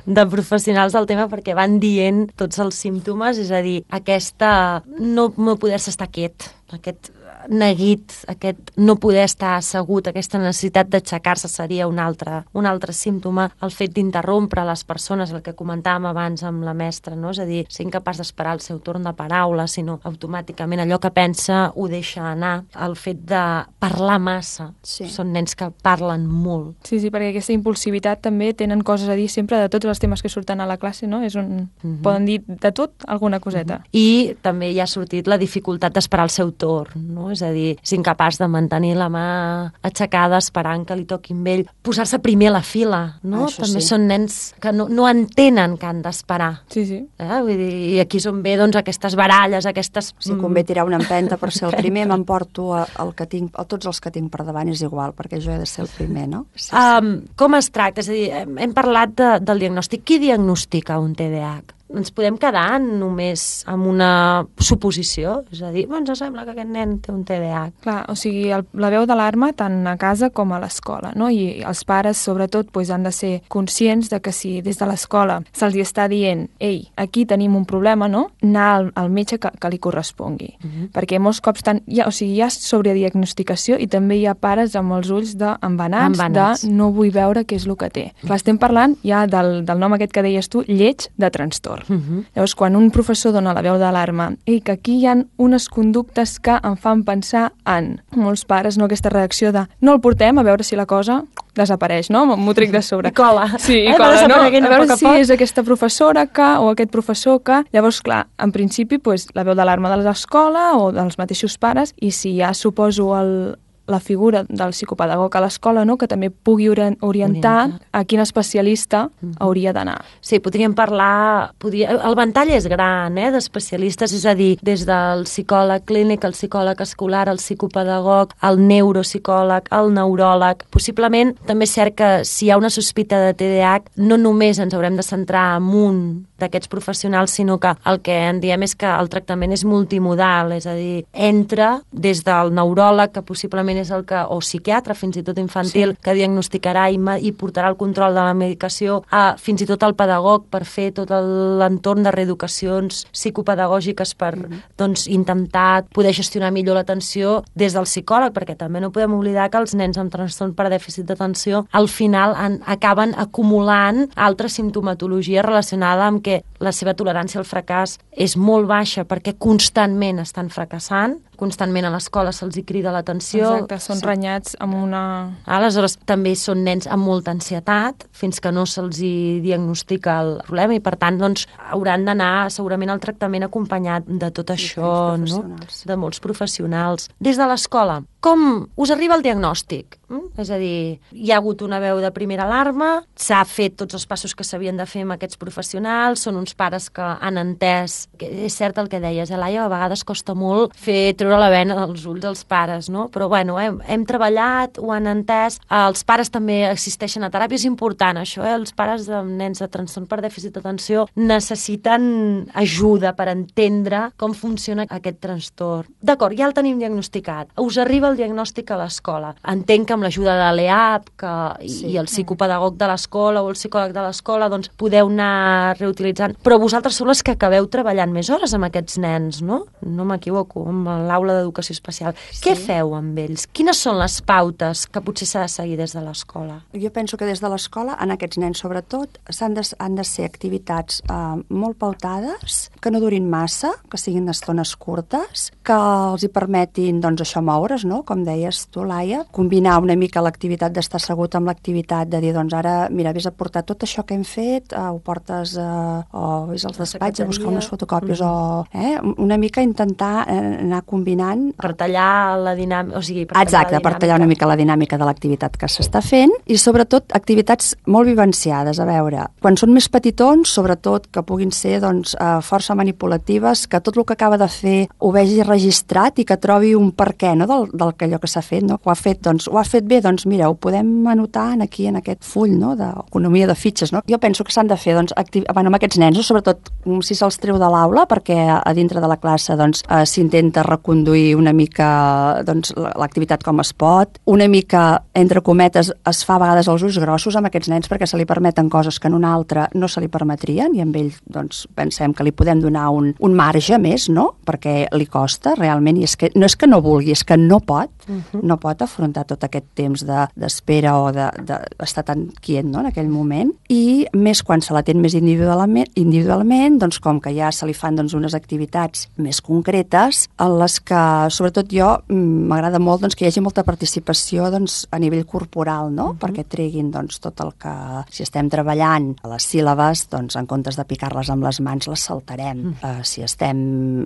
de professionals del tema, perquè van dient tots els símptomes, és a dir, aquesta no, no poder-se estar quiet, aquest neguit, aquest no poder estar assegut, aquesta necessitat d'aixecar-se seria un altre, un altre símptoma, el fet d'interrompre les persones, el que comentàvem abans amb la mestra, no? És a dir, ser incapaç d'esperar el seu torn de paraula, sinó automàticament allò que pensa ho deixa anar, el fet de parlar massa, sí. Són nens que parlen molt.
Sí, sí, perquè aquesta impulsivitat també tenen coses a dir sempre de tots els temes que surten a la classe, no? És un... Uh-huh. Poden dir de tot alguna coseta.
Uh-huh. I també hi ha sortit la dificultat d'esperar el seu torn, no? És a dir, és incapaç de mantenir la mà aixecada esperant que li toquin amb ell. Posar-se primer a la fila, no?
Això
també
sí.
són nens que no, no entenen que han d'esperar.
Sí, sí.
Eh? Vull dir, i aquí és on ve doncs, aquestes baralles, aquestes...
Si convé tirar una empenta per ser el primer, m'emporto el que tinc, a tots els que tinc per davant és igual, perquè jo he de ser el primer, no?
Sí, sí. Um, com es tracta? És a dir, hem, hem parlat de, del diagnòstic. Qui diagnostica un T D A H? Ens podem quedar només amb una suposició? És a dir, ens sembla que aquest nen té un T D A H.
Clar, o sigui, el, la veu d'alarma tant a casa com a l'escola, no? I els pares, sobretot, pues, han de ser conscients de que si des de l'escola se'ls està dient ei, aquí tenim un problema, no? Anar al, al metge que, que li correspongui. Uh -huh. Perquè molts cops tant, hi ha, o sigui, hi ha sobrediagnosticació i també hi ha pares amb els ulls d'embenats, de no vull veure què és el que té. Uh -huh. Clar, estem parlant ja del, del nom aquest que deies tu, lleig de trastorn. Uh-huh. Llavors, quan un professor dona la veu d'alarma i que aquí hi ha unes conductes que em fan pensar en molts pares, no, aquesta reacció de no el portem a veure si la cosa desapareix, no? M'ho trec de sobre.
I cola.
Sí, i
eh,
cola, no? A veure
a
si és aquesta professora que, o aquest professor que... Llavors, clar, en principi, pues, la veu d'alarma de l'escola o dels mateixos pares, i si ja suposo el... la figura del psicopedagog a l'escola, no? Que també pugui orientar, orientar a quin especialista uh-huh. hauria d'anar.
Sí, podríem parlar... Podria, el ventall és gran, eh, d'especialistes, és a dir, des del psicòleg clínic, el psicòleg escolar, el psicopedagog, el neuropsicòleg, el neuròleg. Possiblement, també és cert que si hi ha una sospita de T D A H, no només ens haurem de centrar en un d'aquests professionals, sinó que el que en diem és que el tractament és multimodal, és a dir, entra des del neuròleg, que possiblement és el que, o psiquiatre, fins i tot infantil, sí. que diagnosticarà i, i portarà el control de la medicació, a fins i tot el pedagog per fer tot l'entorn de reeducacions psicopedagògiques per mm-hmm. doncs, intentar poder gestionar millor l'atenció des del psicòleg, perquè també no podem oblidar que els nens amb trastorn per dèficit d'atenció al final han, acaben acumulant altra simptomatologia relacionada amb que la seva tolerància al fracàs és molt baixa perquè constantment estan fracassant, constantment a l'escola se'ls hi crida l'atenció.
Exacte, són sí. renyats amb una...
Aleshores, també són nens amb molta ansietat, fins que no se'ls hi diagnostica el problema, i per tant, doncs, hauran d'anar segurament al tractament acompanyat de tot això, no? De molts professionals. Des de l'escola, com us arriba el diagnòstic? Mm? És a dir, hi ha hagut una veu de primera alarma, s'ha fet tots els passos que s'havien de fer amb aquests professionals, són uns pares que han entès, que és cert el que deies, eh, Laia, a vegades costa molt fer treure la vena dels ulls als pares, no? Però bueno, hem, hem treballat, ho han entès, els pares també assisteixen a teràpia, és important això, eh? Els pares de nens de trastorn per dèficit d'atenció necessiten ajuda per entendre com funciona aquest trastorn. D'acord, ja el tenim diagnosticat, us arriba el diagnòstic a l'escola. Entenc que amb l'ajuda de l'E A P que, sí. i el psicopedagog de l'escola o el psicòleg de l'escola doncs podeu anar reutilitzant, però vosaltres sou les que acabeu treballant més hores amb aquests nens, no? No m'equivoco, amb l'aula d'educació especial. Sí. Què feu amb ells? Quines són les pautes que potser s'ha de seguir des de l'escola?
Jo penso que des de l'escola, en aquests nens sobretot, s'han de, han de ser activitats eh, molt pautades, que no durin massa, que siguin d'estones curtes, que els hi permetin, doncs, això, moure's, no? Com deies tu, Laia, combinar una mica mica l'activitat d'estar assegut amb l'activitat, de dir, doncs ara, mira, vés a portar tot això que hem fet, eh, ho portes eh, o vés als despatx a buscar unes fotocòpies, mm. o eh, una mica intentar eh, anar combinant...
Per tallar la dinàmica, o sigui, per tallar
Exacte, per tallar una mica la dinàmica de l'activitat que s'està fent, i sobretot activitats molt vivenciades, a veure, quan són més petitons, sobretot que puguin ser doncs, eh, força manipulatives, que tot el que acaba de fer ho vegi registrat i que trobi un per què, no?, del, del que allò que s'ha fet, no? Ho ha fet, doncs, ho ha fet bé, doncs mira, ho podem anotar aquí en aquest full, no?, d'economia de fitxes, no? Jo penso que s'han de fer, doncs, activ... bueno, amb aquests nens, no? Sobretot si se'ls treu de l'aula, perquè a dintre de la classe, doncs, eh, s'intenta reconduir una mica, doncs, l'activitat com es pot, una mica, entre cometes, es fa a vegades els ulls grossos amb aquests nens perquè se li permeten coses que en un altre no se li permetrien, i amb ell, doncs, pensem que li podem donar un, un marge més, no?, perquè li costa realment, i és que no és que no vulgui, és que no pot, uh-huh. no pot afrontar tot aquest temps d'espera de, o d'estar de, tan quiet, no?, en aquell moment, i més quan se l'atén més individualment, individualment, doncs com que ja se li fan doncs, unes activitats més concretes, en les que, sobretot jo, m'agrada molt doncs, que hi hagi molta participació doncs, a nivell corporal, no?, uh-huh. perquè treguin doncs, tot el que, si estem treballant a les síl·labes, doncs en comptes de picar-les amb les mans, les saltarem. Uh-huh. Uh, si estem,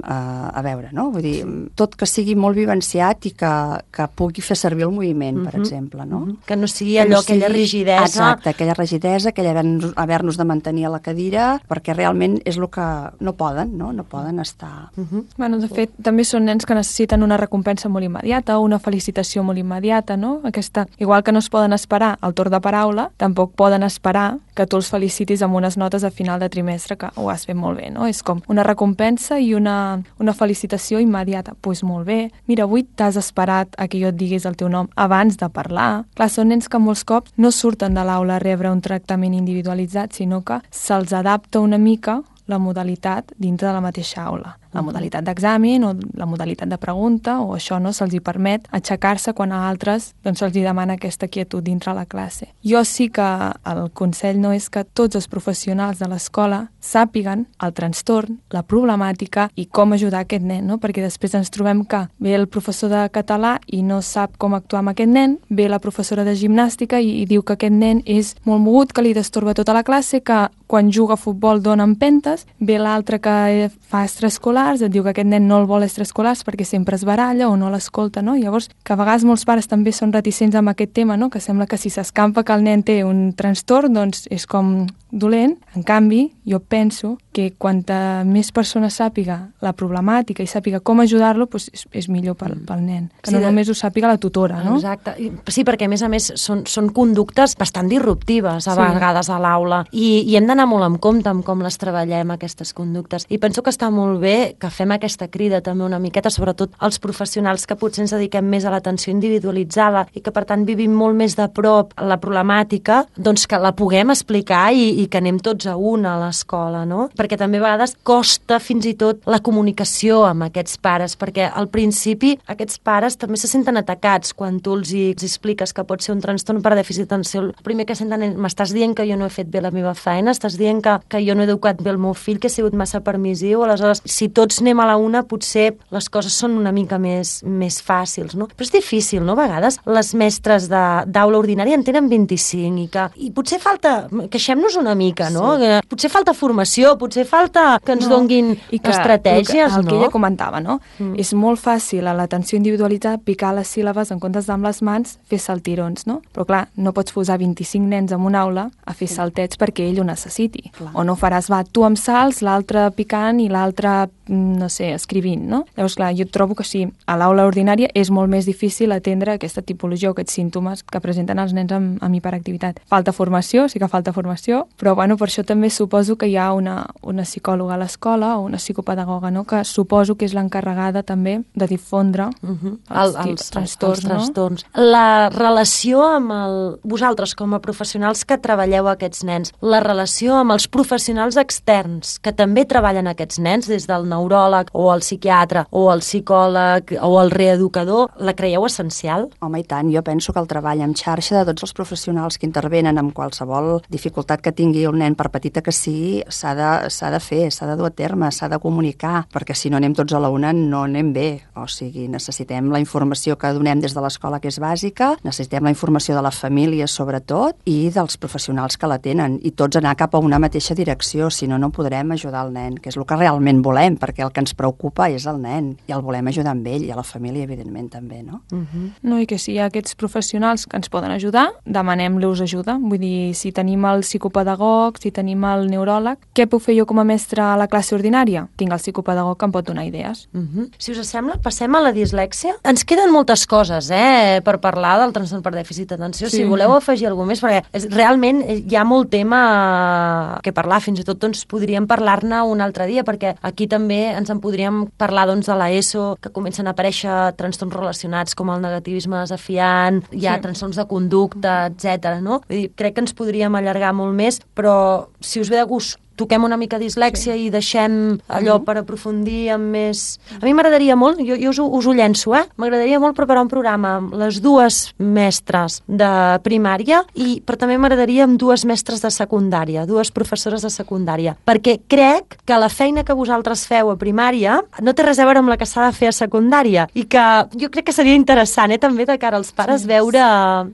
uh, a veure, no?, vull dir, tot que sigui molt vivenciat i que, que pugui fer servir el moviment, uh-huh. per exemple, no?
Uh-huh. Que no sigui allò, que no sigui, aquella rigidesa...
Exacte, aquella rigidesa, aquella haver-nos haver de mantenir a la cadira, perquè realment és el que no poden, no? No poden estar...
Uh-huh. Bueno, de fet, també són nens que necessiten una recompensa molt immediata, una felicitació molt immediata, no? Aquesta, igual que no es poden esperar al torn de paraula, tampoc poden esperar que tu els felicitis amb unes notes a final de trimestre que ho has fet molt bé, no? És com una recompensa i una, una felicitació immediata. Doncs pues molt bé, mira, avui t'has esperat a que jo et diguis el teu nom abans de parlar. Clar, són nens que molts cops no surten de l'aula a rebre un tractament individualitzat, sinó que se'ls adapta una mica la modalitat dintre de la mateixa aula. La modalitat d'examen o la modalitat de pregunta, o això no se'ls hi permet aixecar-se quan a altres doncs, se'ls hi demana aquesta quietud dintre la classe. Jo sí que el consell no és que tots els professionals de l'escola sàpiguen el trastorn, la problemàtica i com ajudar aquest nen, no? Perquè després ens trobem que ve el professor de català i no sap com actuar amb aquest nen, ve la professora de gimnàstica i, i diu que aquest nen és molt mogut, que li destorba tota la classe, que quan juga a futbol dona empentes, ve l'altre que fa extraescolars, et diu que aquest nen no el vol extraescolars perquè sempre es baralla o no l'escolta, no? Llavors, que a vegades molts pares també són reticents amb aquest tema, no? Que sembla que si s'escampa que el nen té un trastorn, doncs és com dolent. En canvi, jo penso que quanta més persones sàpiga la problemàtica i sàpiga com ajudar-lo, doncs és, és millor pel, pel nen. Que sí, no només ho sàpiga la tutora, no?
Exacte. Sí, perquè a més a més són, són conductes bastant disruptives a sí. vegades a l'aula i, i hem d'anar molt en compte amb com les treballem, aquestes conductes. I penso que està molt bé que fem aquesta crida també una miqueta, sobretot als professionals que potser ens dediquem més a l'atenció individualitzada i que per tant vivim molt més de prop la problemàtica, doncs que la puguem explicar i, i que anem tots a una a l'escola, no? Perquè també a vegades costa fins i tot la comunicació amb aquests pares, perquè al principi aquests pares també se senten atacats quan tu els, hi, els expliques que pot ser un trastorn per dèficit d'atenció. El primer que senten és, m'estàs dient que jo no he fet bé la meva feina, estàs dient que, que jo no he educat bé el meu fill, que he sigut massa permissiu, aleshores si tots anem a la una potser les coses són una mica més, més fàcils, no? Però és difícil, no? A vegades les mestres d'aula ordinària en tenen vint-i-cinc i que i potser falta, queixem-nos una mica, no? Sí. Que potser falta formació, potser falta que ens no. donguin I que, estratègies,
el que, el
no?
que ella comentava, no? Mm. És molt fàcil a l'atenció individualitzada picar les síl·labes en comptes d'amb les mans fer saltirons, no? Però clar, no pots posar vint-i-cinc nens en una aula a fer sí. saltets perquè ell ho necessiti. Clar. O no faràs, va, tu amb salts, l'altre picant i l'altre, no sé, escrivint, no? Llavors, clar, jo trobo que sí, a l'aula ordinària és molt més difícil atendre aquesta tipologia o aquests símptomes que presenten els nens amb, amb hiperactivitat. Falta formació, sí que falta formació, però bueno, per això també suposo que hi ha una, una psicòloga a l'escola o una psicopedagoga, no? Que suposo que és l'encarregada també de difondre uh-huh. els, el, els, trastorns, els trastorns.
No? La relació amb el... vosaltres com a professionals que treballeu aquests nens, la relació amb els professionals externs que també treballen aquests nens, des del neuròleg o el psiquiatre o el psicòleg o el reeducador, la creieu essencial?
Home, i tant. Jo penso que el treball en xarxa de tots els professionals que intervenen amb qualsevol dificultat que tinguin tingui el nen, per petita que sigui, s'ha de, s'ha de fer, s'ha de dur a terme, s'ha de comunicar, perquè si no anem tots a la una no anem bé. O sigui, necessitem la informació que donem des de l'escola, que és bàsica, necessitem la informació de la família, sobretot, i dels professionals que la tenen, i tots anar cap a una mateixa direcció, si no, no podrem ajudar el nen, que és el que realment volem, perquè el que ens preocupa és el nen, i el volem ajudar amb ell, i a la família, evidentment, també, no?
Uh-huh. No, i que si hi ha aquests professionals que ens poden ajudar, demanem-los ajuda. Vull dir, si tenim el psicopedagog, si tenim el neuròleg, què puc fer jo com a mestra a la classe ordinària? Tinc el psicopedagog que em pot donar idees.
Uh-huh. Si us sembla, passem a la dislèxia. Ens queden moltes coses, eh, per parlar del trastorn per dèficit d'atenció. Sí. Si voleu afegir alguna més, perquè és, realment hi ha molt tema que parlar, fins i tot doncs, podríem parlar-ne un altre dia, perquè aquí també ens en podríem parlar doncs, de l'ESO, que comencen a aparèixer trastorns relacionats com el negativisme desafiant, hi ha sí. trastorns de conducta, etcètera. No? Vull dir, crec que ens podríem allargar molt més, però si us ve de gust toquem una mica dislèxia sí. i deixem allò uh-huh. per aprofundir amb més... A mi m'agradaria molt, jo, jo us, ho, us ho llenço, eh? M'agradaria molt preparar un programa amb les dues mestres de primària, i, però també m'agradaria amb dues mestres de secundària, dues professores de secundària, perquè crec que la feina que vosaltres feu a primària no té res a veure amb la que s'ha de fer a secundària, i que jo crec que seria interessant, eh, també de cara als pares, sí. veure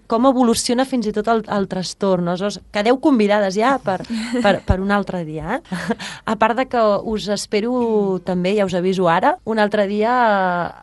com evoluciona fins i tot el, el trastorn. No? Quedeu convidades ja per, per, per un altre dia. Dia. A part de que us espero també, ja us aviso ara, un altre dia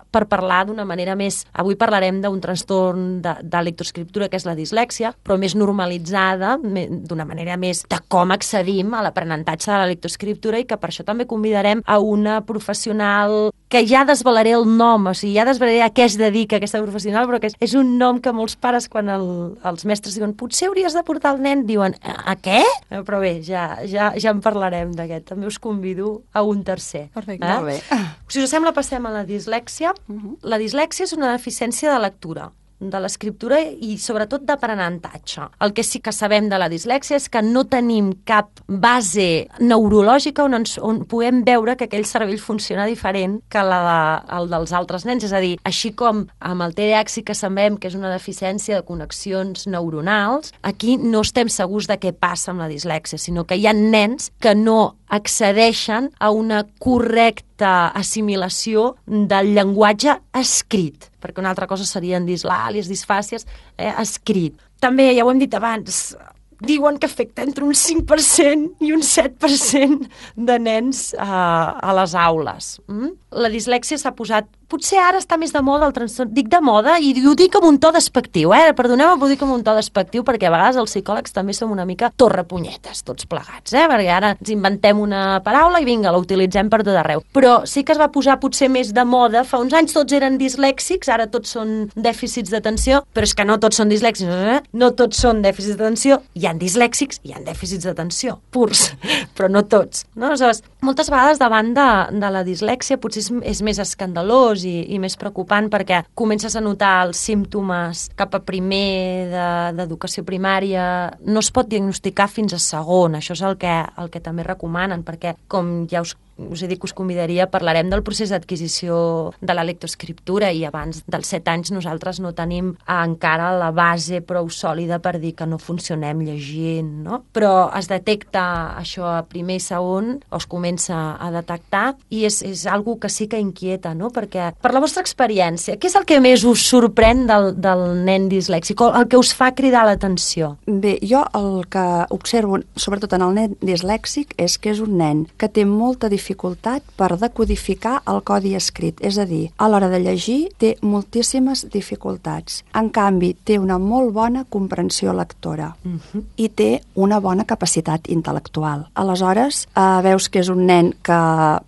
per parlar d'una manera més... Avui parlarem d'un trastorn de, de lectoescriptura, que és la dislèxia, però més normalitzada, d'una manera més de com accedim a l'aprenentatge de la lectoescriptura, i que per això també convidarem a una professional que ja desvelaré el nom, o sigui, ja desvelaré a què es dedica aquesta professional, però que és, és un nom que molts pares, quan el, els mestres diuen potser hauries de portar el nen, diuen a, a què? Però bé, ja, ja, ja en parlarem d'aquest. També us convido a un tercer.
Perfecte.
Eh?
Molt bé.
Si us sembla, passem a la dislèxia.
Uh-huh.
La dislèxia és una deficiència de lectura, de l'escriptura i sobretot d'aprenentatge. El que sí que sabem de la dislèxia és que no tenim cap base neurològica on, ens, on puguem veure que aquell cervell funciona diferent que la de, el dels altres nens. És a dir, així com amb el T D A H sí que sabem que és una deficiència de connexions neuronals, aquí no estem segurs de què passa amb la dislèxia, sinó que hi ha nens que no accedeixen a una correcta assimilació del llenguatge escrit, perquè una altra cosa serien dislàlies, disfàcies, eh, escrit. També, ja ho hem dit abans, diuen que afecta entre un cinc per cent i un set per cent de nens eh, a les aules. Mm? La dislèxia s'ha posat... Potser ara està més de moda el trastorn. Dic de moda i ho dic amb un to despectiu, eh? Perdoneu, ho dic amb un to despectiu, perquè a vegades els psicòlegs també som una mica torrepunyetes, tots plegats, eh? Perquè ara ens inventem una paraula i vinga, la utilitzem per tot arreu. Però sí que es va posar potser més de moda. Fa uns anys tots eren dislèxics, ara tots són dèficits d'atenció, però és que no tots són dislèxics, eh? No tots són dèficits d'atenció. Hi ha dislèxics i hi ha dèficits d'atenció, purs, però no tots. No? Aleshores, moltes vegades davant de, de la dislèxia potser és, és més escandalós i, i més preocupant, perquè comences a notar els símptomes cap a primer d'educació primària. No es pot diagnosticar fins a segon, això és el que, el que també recomanen, perquè com ja us us he dit que us convidaria, parlarem del procés d'adquisició de la lectoescriptura, i abans dels set anys nosaltres no tenim encara la base prou sòlida per dir que no funcionem llegint, no? Però es detecta això a primer i segon, o es comença a detectar, i és, és algo que sí que inquieta, no? Perquè, per la vostra experiència, què és el que més us sorprèn del, del nen dislèxic, el que us fa cridar l'atenció?
Bé, jo el que observo, sobretot en el nen dislèxic, és que és un nen que té molta dificultat dificultat per decodificar el codi escrit, és a dir, a l'hora de llegir té moltíssimes dificultats. En canvi, té una molt bona comprensió lectora uh-huh. i té una bona capacitat intel·lectual. Aleshores, eh, veus que és un nen que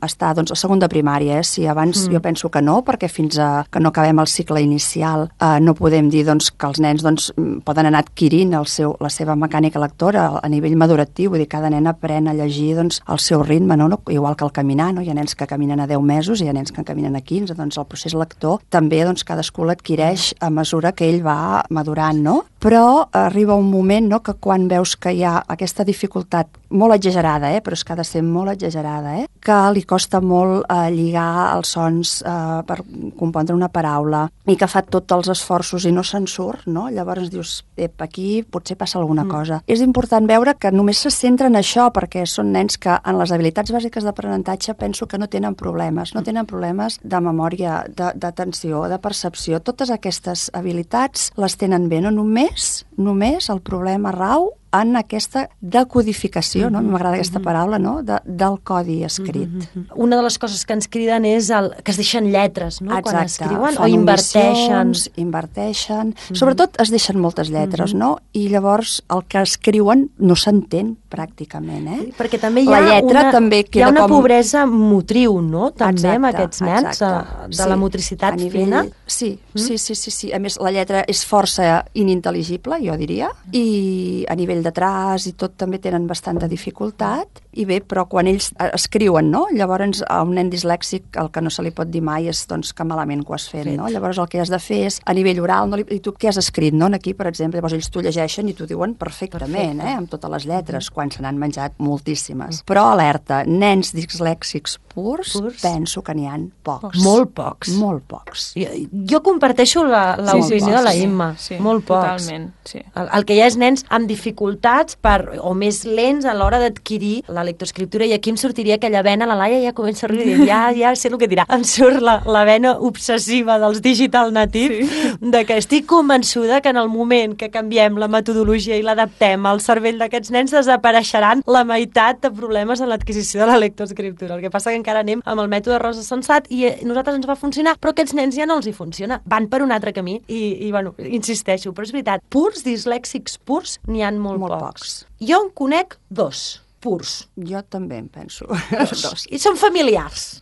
està doncs, a segon de primària, eh? Si abans uh-huh. jo penso que no, perquè fins a que no acabem el cicle inicial eh, no podem dir doncs, que els nens doncs, poden anar adquirint el seu, la seva mecànica lectora a nivell maduratiu, vull dir, cada nen aprèn a llegir doncs, al seu ritme, no? No? Igual que el caminar, no? Hi ha nens que caminen a deu mesos i hi ha nens que caminen a quinze, doncs el procés lector també doncs, cadascú l'adquireix a mesura que ell va madurant, no? Però arriba un moment, no?, que quan veus que hi ha aquesta dificultat molt exagerada, eh? Però és que ha de ser molt exagerada, eh? Que li costa molt eh, lligar els sons eh, per compondre una paraula i que fa tots els esforços i no se'n surt, no? Llavors dius, ep, aquí potser passa alguna mm. cosa. És important veure que només se centra en això perquè són nens que en les habilitats bàsiques d'aprenentatge penso que no tenen problemes, no tenen problemes de memòria, d'atenció, de, de percepció. Totes aquestes habilitats les tenen bé, no només, només el problema rau en aquesta decodificació, no? M'agrada aquesta paraula, no? De, del codi escrit.
Mm-hmm. Una de les coses que ens criden és el, que es deixen lletres, no?
Exacte.
Quan escriuen,
Fan
o inverteixen.
inverteixen. Mm-hmm. Sobretot es deixen moltes lletres, mm-hmm. no? I llavors el que escriuen no s'entén pràcticament, eh?
Sí, perquè també hi ha,
la lletra
una,
també
hi ha una
com...
pobresa motriu, no? També
exacte,
amb aquests nens,
exacte.
de, de
sí.
la motricitat
nivell...
fina.
Sí, mm? sí, sí, sí, sí. A més, la lletra és força inintel·ligible, jo diria, i a nivell de traç i tot també tenen bastanta dificultat, i bé, però quan ells escriuen, no? Llavors a un nen dislèxic el que no se li pot dir mai és doncs, que malament que ho has fet, fet. No? Llavors el que has de fer és a nivell oral, no li... i tu què has escrit, no? Aquí, per exemple, llavors ells t'ho llegeixen i t'ho diuen perfectament, Perfecte. eh? Amb totes les lletres, mm. quan se n'han menjat moltíssimes. Mm. Però alerta, nens dislèxics purs, purs? penso que n'hi ha pocs.
Molt pocs.
Molt pocs.
Jo, jo comparteixo l'opinió sí, sí, de la Imma.
Sí, sí,
molt pocs.
Totalment, sí.
El, el que hi ha és nens amb dificultats per, o més lents a l'hora d'adquirir la lectoescriptura, i aquí em sortiria aquella vena, la Laia ja comença a riure, ja, ja sé el que dirà. Em surt la, la vena obsessiva dels digital natives, sí. de que estic convençuda que en el moment que canviem la metodologia i l'adaptem al cervell d'aquests nens desapareixeran la meitat de problemes en l'adquisició de la lectoescriptura. El que passa que encara anem amb el mètode Rosa Sensat i a nosaltres ens va funcionar, però aquests nens ja no els hi funciona. Van per un altre camí i, i bueno, insisteixo, però és veritat, purs, dislèxics purs, n'hi ha molt,
molt
pocs.
pocs.
Jo en conec dos, purs.
Jo també en penso.
Dos. dos. I són familiars.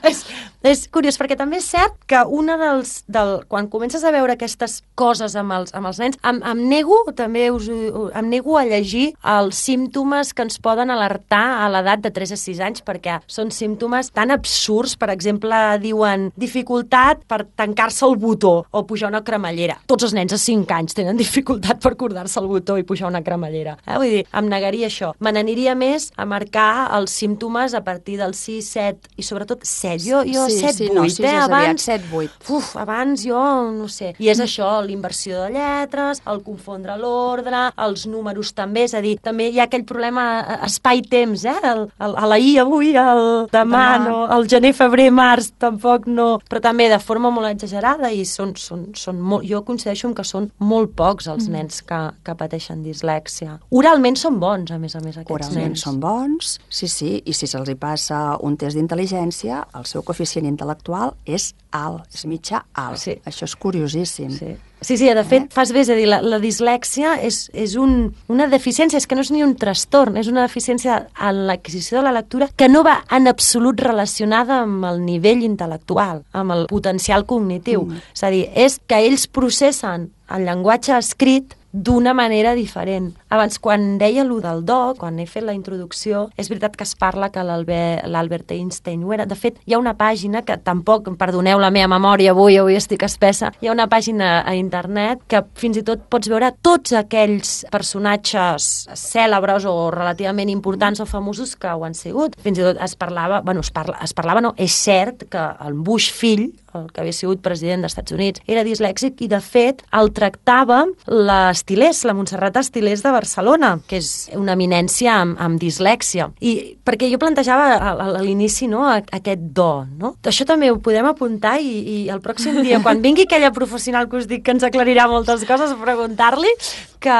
és, és curiós, perquè també és cert que una dels... Del, quan comences a veure aquestes coses amb els, amb els nens, em, em nego també us, em nego a llegir els símptomes que ens poden alertar a l'edat de tres a sis anys, perquè són símptomes tan absurds. Per exemple, diuen dificultat per tancar-se el botó o pujar una cremallera. Tots els nens a cinc anys tenen dificultat per acordar-se el botó i pujar una cremallera. Eh? Vull dir, em negaria això. Me n'aniria més a marcar els símptomes a partir dels sis, set i sobretot set. Jo, jo
sí,
set,
sí,
vuit,
no, sí,
eh? Abans,
set, vuit.
Uf, abans jo no sé. I és això, l'inversió de lletres, el confondre l'ordre, els números també, és a dir, també hi ha aquell problema espai-temps, eh? El, el, a la I avui, el demà, demà. No, el gener, febrer, març, tampoc no, però també de forma molt exagerada, i són, són, són molt, jo coincideixo que són molt pocs els mm. nens que, que pateixen dislèxia. Oralment són bons, a més a més, aquests
Oralment
nens.
són bons, sí, sí, i si se'ls hi passa un test d'intel·ligència, el seu coeficient intel·lectual és alt, és mitjà alt. Sí. Això és curiosíssim.
Sí. Sí, sí, de fet, eh? fas bé, és a dir, la, la dislèxia és, és un, una deficiència, és que no és ni un trastorn, és una deficiència en l'adquisició de la lectura que no va en absolut relacionada amb el nivell intel·lectual, amb el potencial cognitiu. Mm. És a dir, és que ells processen el llenguatge escrit d'una manera diferent. Abans, quan deia allò del do, quan he fet la introducció, és veritat que es parla que l'Albert Einstein ho era. De fet, hi ha una pàgina que tampoc, perdoneu la meva memòria avui, avui estic espessa, hi ha una pàgina a internet que fins i tot pots veure tots aquells personatges cèlebres o relativament importants o famosos que ho han sigut. Fins i tot es parlava, bueno, es, parla, es parlava, no, és cert que el Bush fill, el que havia sigut president dels Estats Units, era dislèxic i, de fet, el tractava l'Estilés, la Montserrat Estilés de Barcelona, que és una eminència amb, amb dislèxia. I perquè jo plantejava a, a l'inici, no, aquest do, no? Això també ho podem apuntar i, i el pròxim dia, quan vingui aquella professional que us dic que ens aclarirà moltes coses, preguntar-li que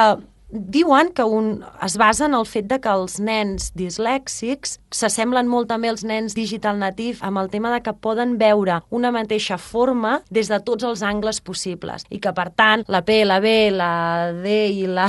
diuen que un, es basa en el fet de que els nens dislèxics s'assemblen molt també als nens digital native amb el tema de que poden veure una mateixa forma des de tots els angles possibles i que, per tant, la P, la B, la D i la,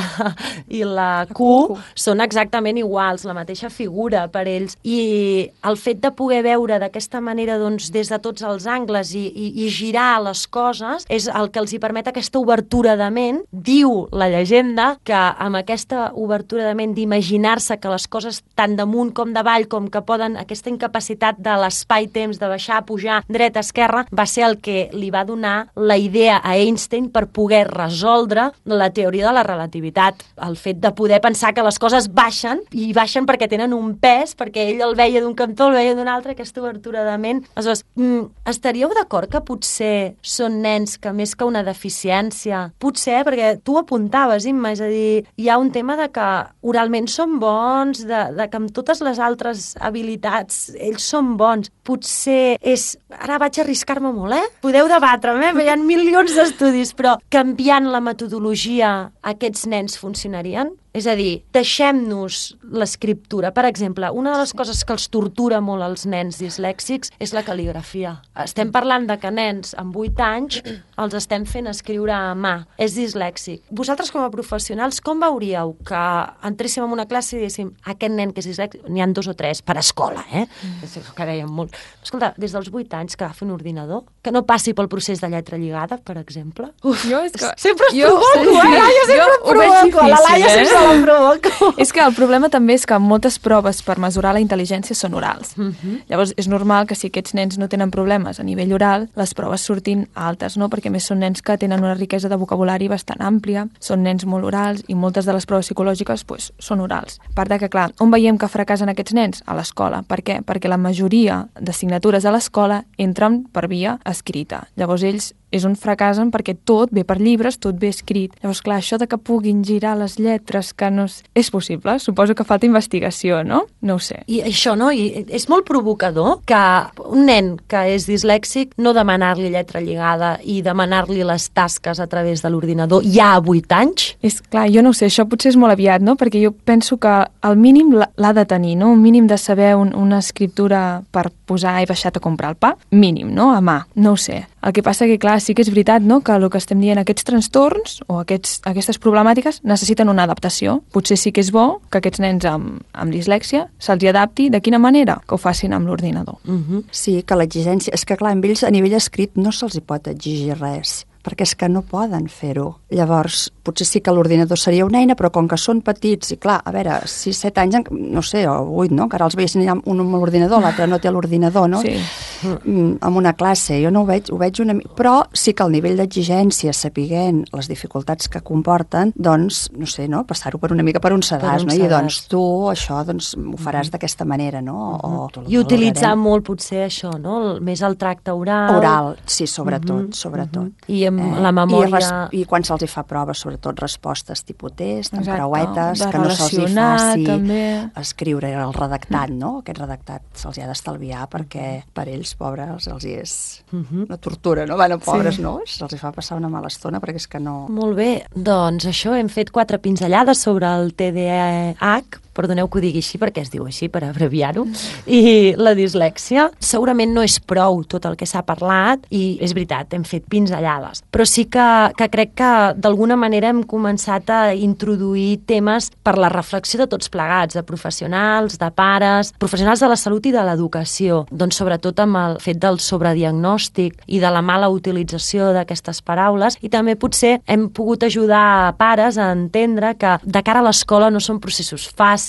i la Q són exactament iguals, la mateixa figura per ells. I el fet de poder veure d'aquesta manera, doncs, des de tots els angles i, i, i girar les coses és el que els hi permet aquesta obertura de ment. Diu la llegenda que amb aquesta obertura de ment d'imaginar-se que les coses tant damunt com d'avall, com que poden, aquesta incapacitat de l'espai-temps, de baixar, pujar, dreta, esquerra, va ser el que li va donar la idea a Einstein per poder resoldre la teoria de la relativitat. El fet de poder pensar que les coses baixen, i baixen perquè tenen un pes, perquè ell el veia d'un cantó, el veia d'un altre, aquesta obertura de ment. Aleshores, mm, estaríeu d'acord que potser són nens que més que una deficiència, potser, perquè tu apuntaves, Imma, és a dir, hi ha un tema de que oralment són bons, de, de que amb totes les altres habilitats ells són bons. Potser és... Ara vaig arriscar-me molt, eh? Podeu debatre-me, eh? Hi ha milions d'estudis, però canviant la metodologia aquests nens funcionarien? És a dir, deixem-nos l'escriptura. Per exemple, una de les coses que els tortura molt als nens dislèxics és la cal·ligrafia. Estem parlant de que nens amb vuit anys els estem fent escriure a mà. És dislèxic. Vosaltres, com a professionals, com veuríeu que entréssim en una classe i diguéssim aquest nen que és dislèxic, n'hi ha dos o tres per escola, eh? Mm. Que dèiem molt. Escolta, des dels vuit anys que agafi un ordinador, que no passi pel procés de lletra lligada, per exemple. Uf,
jo és que...
Sempre es
jo,
provoco, eh? Jo sempre jo provoco. La Laia sempre la provoco.
És que el problema també és que moltes proves per mesurar la intel·ligència són orals. Uh -huh. Llavors, és normal que si aquests nens no tenen problemes a nivell oral, les proves surtin altes, no? Perquè a més són nens que tenen una riquesa de vocabulari bastant àmplia, són nens molt orals i moltes de les proves psicològiques pues, són orals. A part de que, clar, on veiem que fracassen aquests nens? A l'escola. Per què? Perquè la majoria d'assignatures a l'escola entren per via escrita. Llavors, ells és on fracassen perquè tot ve per llibres, tot ve escrit. Llavors, clar, això de que puguin girar les lletres, que no és, és possible. Suposo que falta investigació, no? No ho sé.
I això, no? I és molt provocador que un nen que és dislèxic no demanar-li lletra lligada i demanar-li les tasques a través de l'ordinador ja a vuit anys?
És clar, jo no ho sé, això potser és molt aviat, no? Perquè jo penso que al mínim l'ha de tenir, no? Un mínim de saber un, una escriptura per posar he baixat a comprar el pa, mínim, no? A mà, no ho sé. El que passa que, clar, sí que és veritat, no?, que el que estem dient, aquests trastorns o aquests, aquestes problemàtiques necessiten una adaptació. Potser sí que és bo que aquests nens amb, amb dislèxia se'ls adapti. De quina manera? Que ho facin amb l'ordinador.
Uh-huh.
Sí, que l'exigència... És que, clar, amb ells a nivell escrit no se'ls hi pot exigir res, perquè és que no poden fer-ho. Llavors, potser sí que l'ordinador seria una eina, però com que són petits, i clar, a veure, sis set anys, no sé, o vuit, no?, que ara els veiessin un amb l'ordinador, l'altre no té l'ordinador, no?
Sí.
Amb una classe, jo no ho veig, ho veig una mica... Però sí que el nivell d'exigència, sapiguent les dificultats que comporten, doncs, no sé, no?, passar-ho per una mica per un sedàs, no? I doncs tu, això, doncs, ho faràs mm-hmm. d'aquesta manera, no? O,
I utilitzar molt, potser, això, no?, més el tracte oral.
Oral, sí, sobretot, mm-hmm. sobretot.
Mm-hmm. I amb eh, la memòria...
I, res, I quan se'ls hi fa proves, sobretot respostes tipus test, amb creuetes, que no se'ls hi faci
també.
Escriure el redactat, no? Aquest redactat se'ls hi ha d'estalviar perquè per ells, pobres, els hi és una tortura, no? Bueno, pobres, sí. No? Se'ls hi fa passar una mala estona perquè és que no...
Molt bé, doncs això, hem fet quatre pinzellades sobre el T D A H, perdoneu que ho digui així perquè es diu així, per abreviar-ho, i la dislèxia. Segurament no és prou tot el que s'ha parlat, i és veritat, hem fet pinzellades, però sí que, que crec que d'alguna manera hem començat a introduir temes per la reflexió de tots plegats, de professionals, de pares, professionals de la salut i de l'educació, doncs sobretot amb el fet del sobrediagnòstic i de la mala utilització d'aquestes paraules, i també potser hem pogut ajudar pares a entendre que de cara a l'escola no són processos fàcils,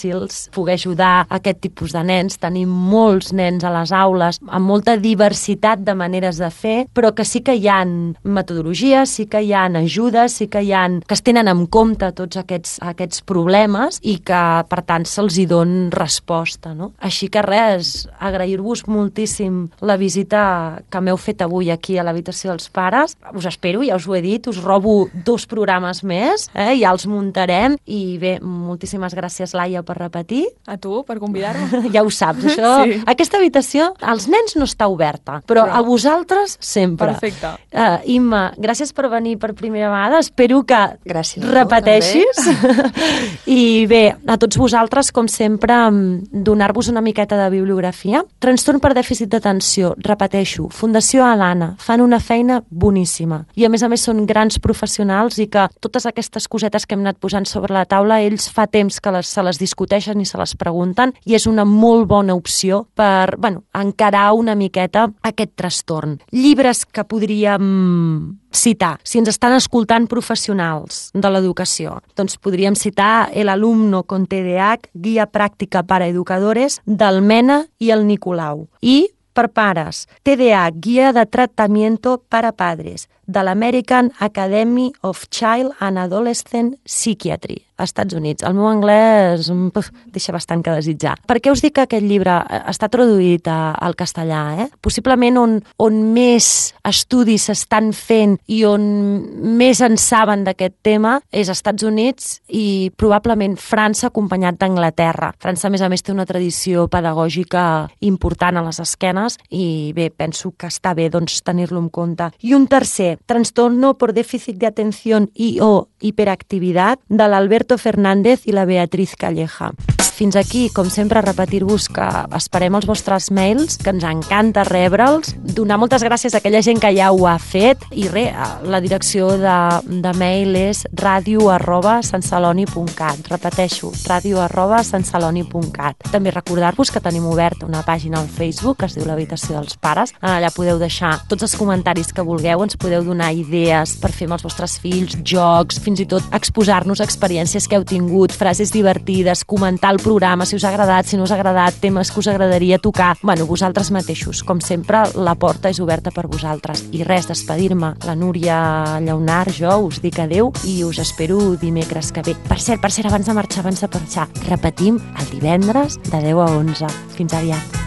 poder ajudar a aquest tipus de nens. Tenim molts nens a les aules amb molta diversitat de maneres de fer, però que sí que hi ha metodologies, sí que hi ha ajudes, sí que hi ha, que es tenen en compte tots aquests, aquests problemes i que, per tant, se'ls hi don resposta, no? Així que res, agrair-vos moltíssim la visita que m'heu fet avui aquí a l'habitació dels pares. Us espero, ja us ho he dit, us robo dos programes més, eh? Ja els muntarem, i bé, moltíssimes gràcies, Laia, per repetir.
A tu, per convidar-me.
Ja ho saps, això. Sí. Aquesta habitació, als nens no està oberta, però, però... a vosaltres sempre.
Perfecte.
Uh, Imma, gràcies per venir per primera vegada. Espero que
gràcies
repeteixis. I bé, a tots vosaltres, com sempre, donar-vos una miqueta de bibliografia. Trastorn per dèficit d'atenció, repeteixo, Fundació Alana, fan una feina boníssima. I a més a més són grans professionals i que totes aquestes cosetes que hem anat posant sobre la taula, ells fa temps que les, se les discuteixen discuteixen i se les pregunten, i és una molt bona opció per, bueno, encarar una miqueta aquest trastorn. Llibres que podríem citar, si ens estan escoltant professionals de l'educació, doncs podríem citar El alumno con T D A H, Guia Pràctica para Educadores, del Mena i el Nicolau. I per pares, T D A H, Guia de Tratamiento para Padres, de l'American Academy of Child and Adolescent Psychiatry, als Estats Units. El meu anglès puf, deixa bastant que desitjar. Per què us dic que aquest llibre està traduït a, al castellà? Eh? Possiblement on, on més estudis s'estan fent i on més en saben d'aquest tema és als Estats Units i probablement França, acompanyat d'Anglaterra. França, a més a més, té una tradició pedagògica important a les esquenes i bé, penso que està bé doncs, tenir-lo en compte. I un tercer, Trastorno por déficit de atención y o hiperactividad, de l'Alberto Fernández i la Beatriz Calleja. Fins aquí, com sempre, repetir-vos que esperem els vostres mails, que ens encanta rebre'ls, donar moltes gràcies a aquella gent que ja ho ha fet i res, la direcció de, de mail és radio arroba santceloni punt cat. Repeteixo, radio arroba santceloni punt cat. També recordar-vos que tenim oberta una pàgina al Facebook que es diu l'Habitació dels Pares. Allà podeu deixar tots els comentaris que vulgueu, ens podeu donar idees per fer amb els vostres fills, jocs, fins i tot exposar-nos experiències que heu tingut, frases divertides, comentar el programa, si us ha agradat, si no us ha agradat, temes que us agradaria tocar. Bueno, vosaltres mateixos. Com sempre, la porta és oberta per vosaltres. I res, despedir-me. La Núria Lleonart, jo, us dic adeu i us espero dimecres que ve. Per cert, per cert, abans de marxar, abans de marxar, repetim el divendres de deu a onze. Fins aviat.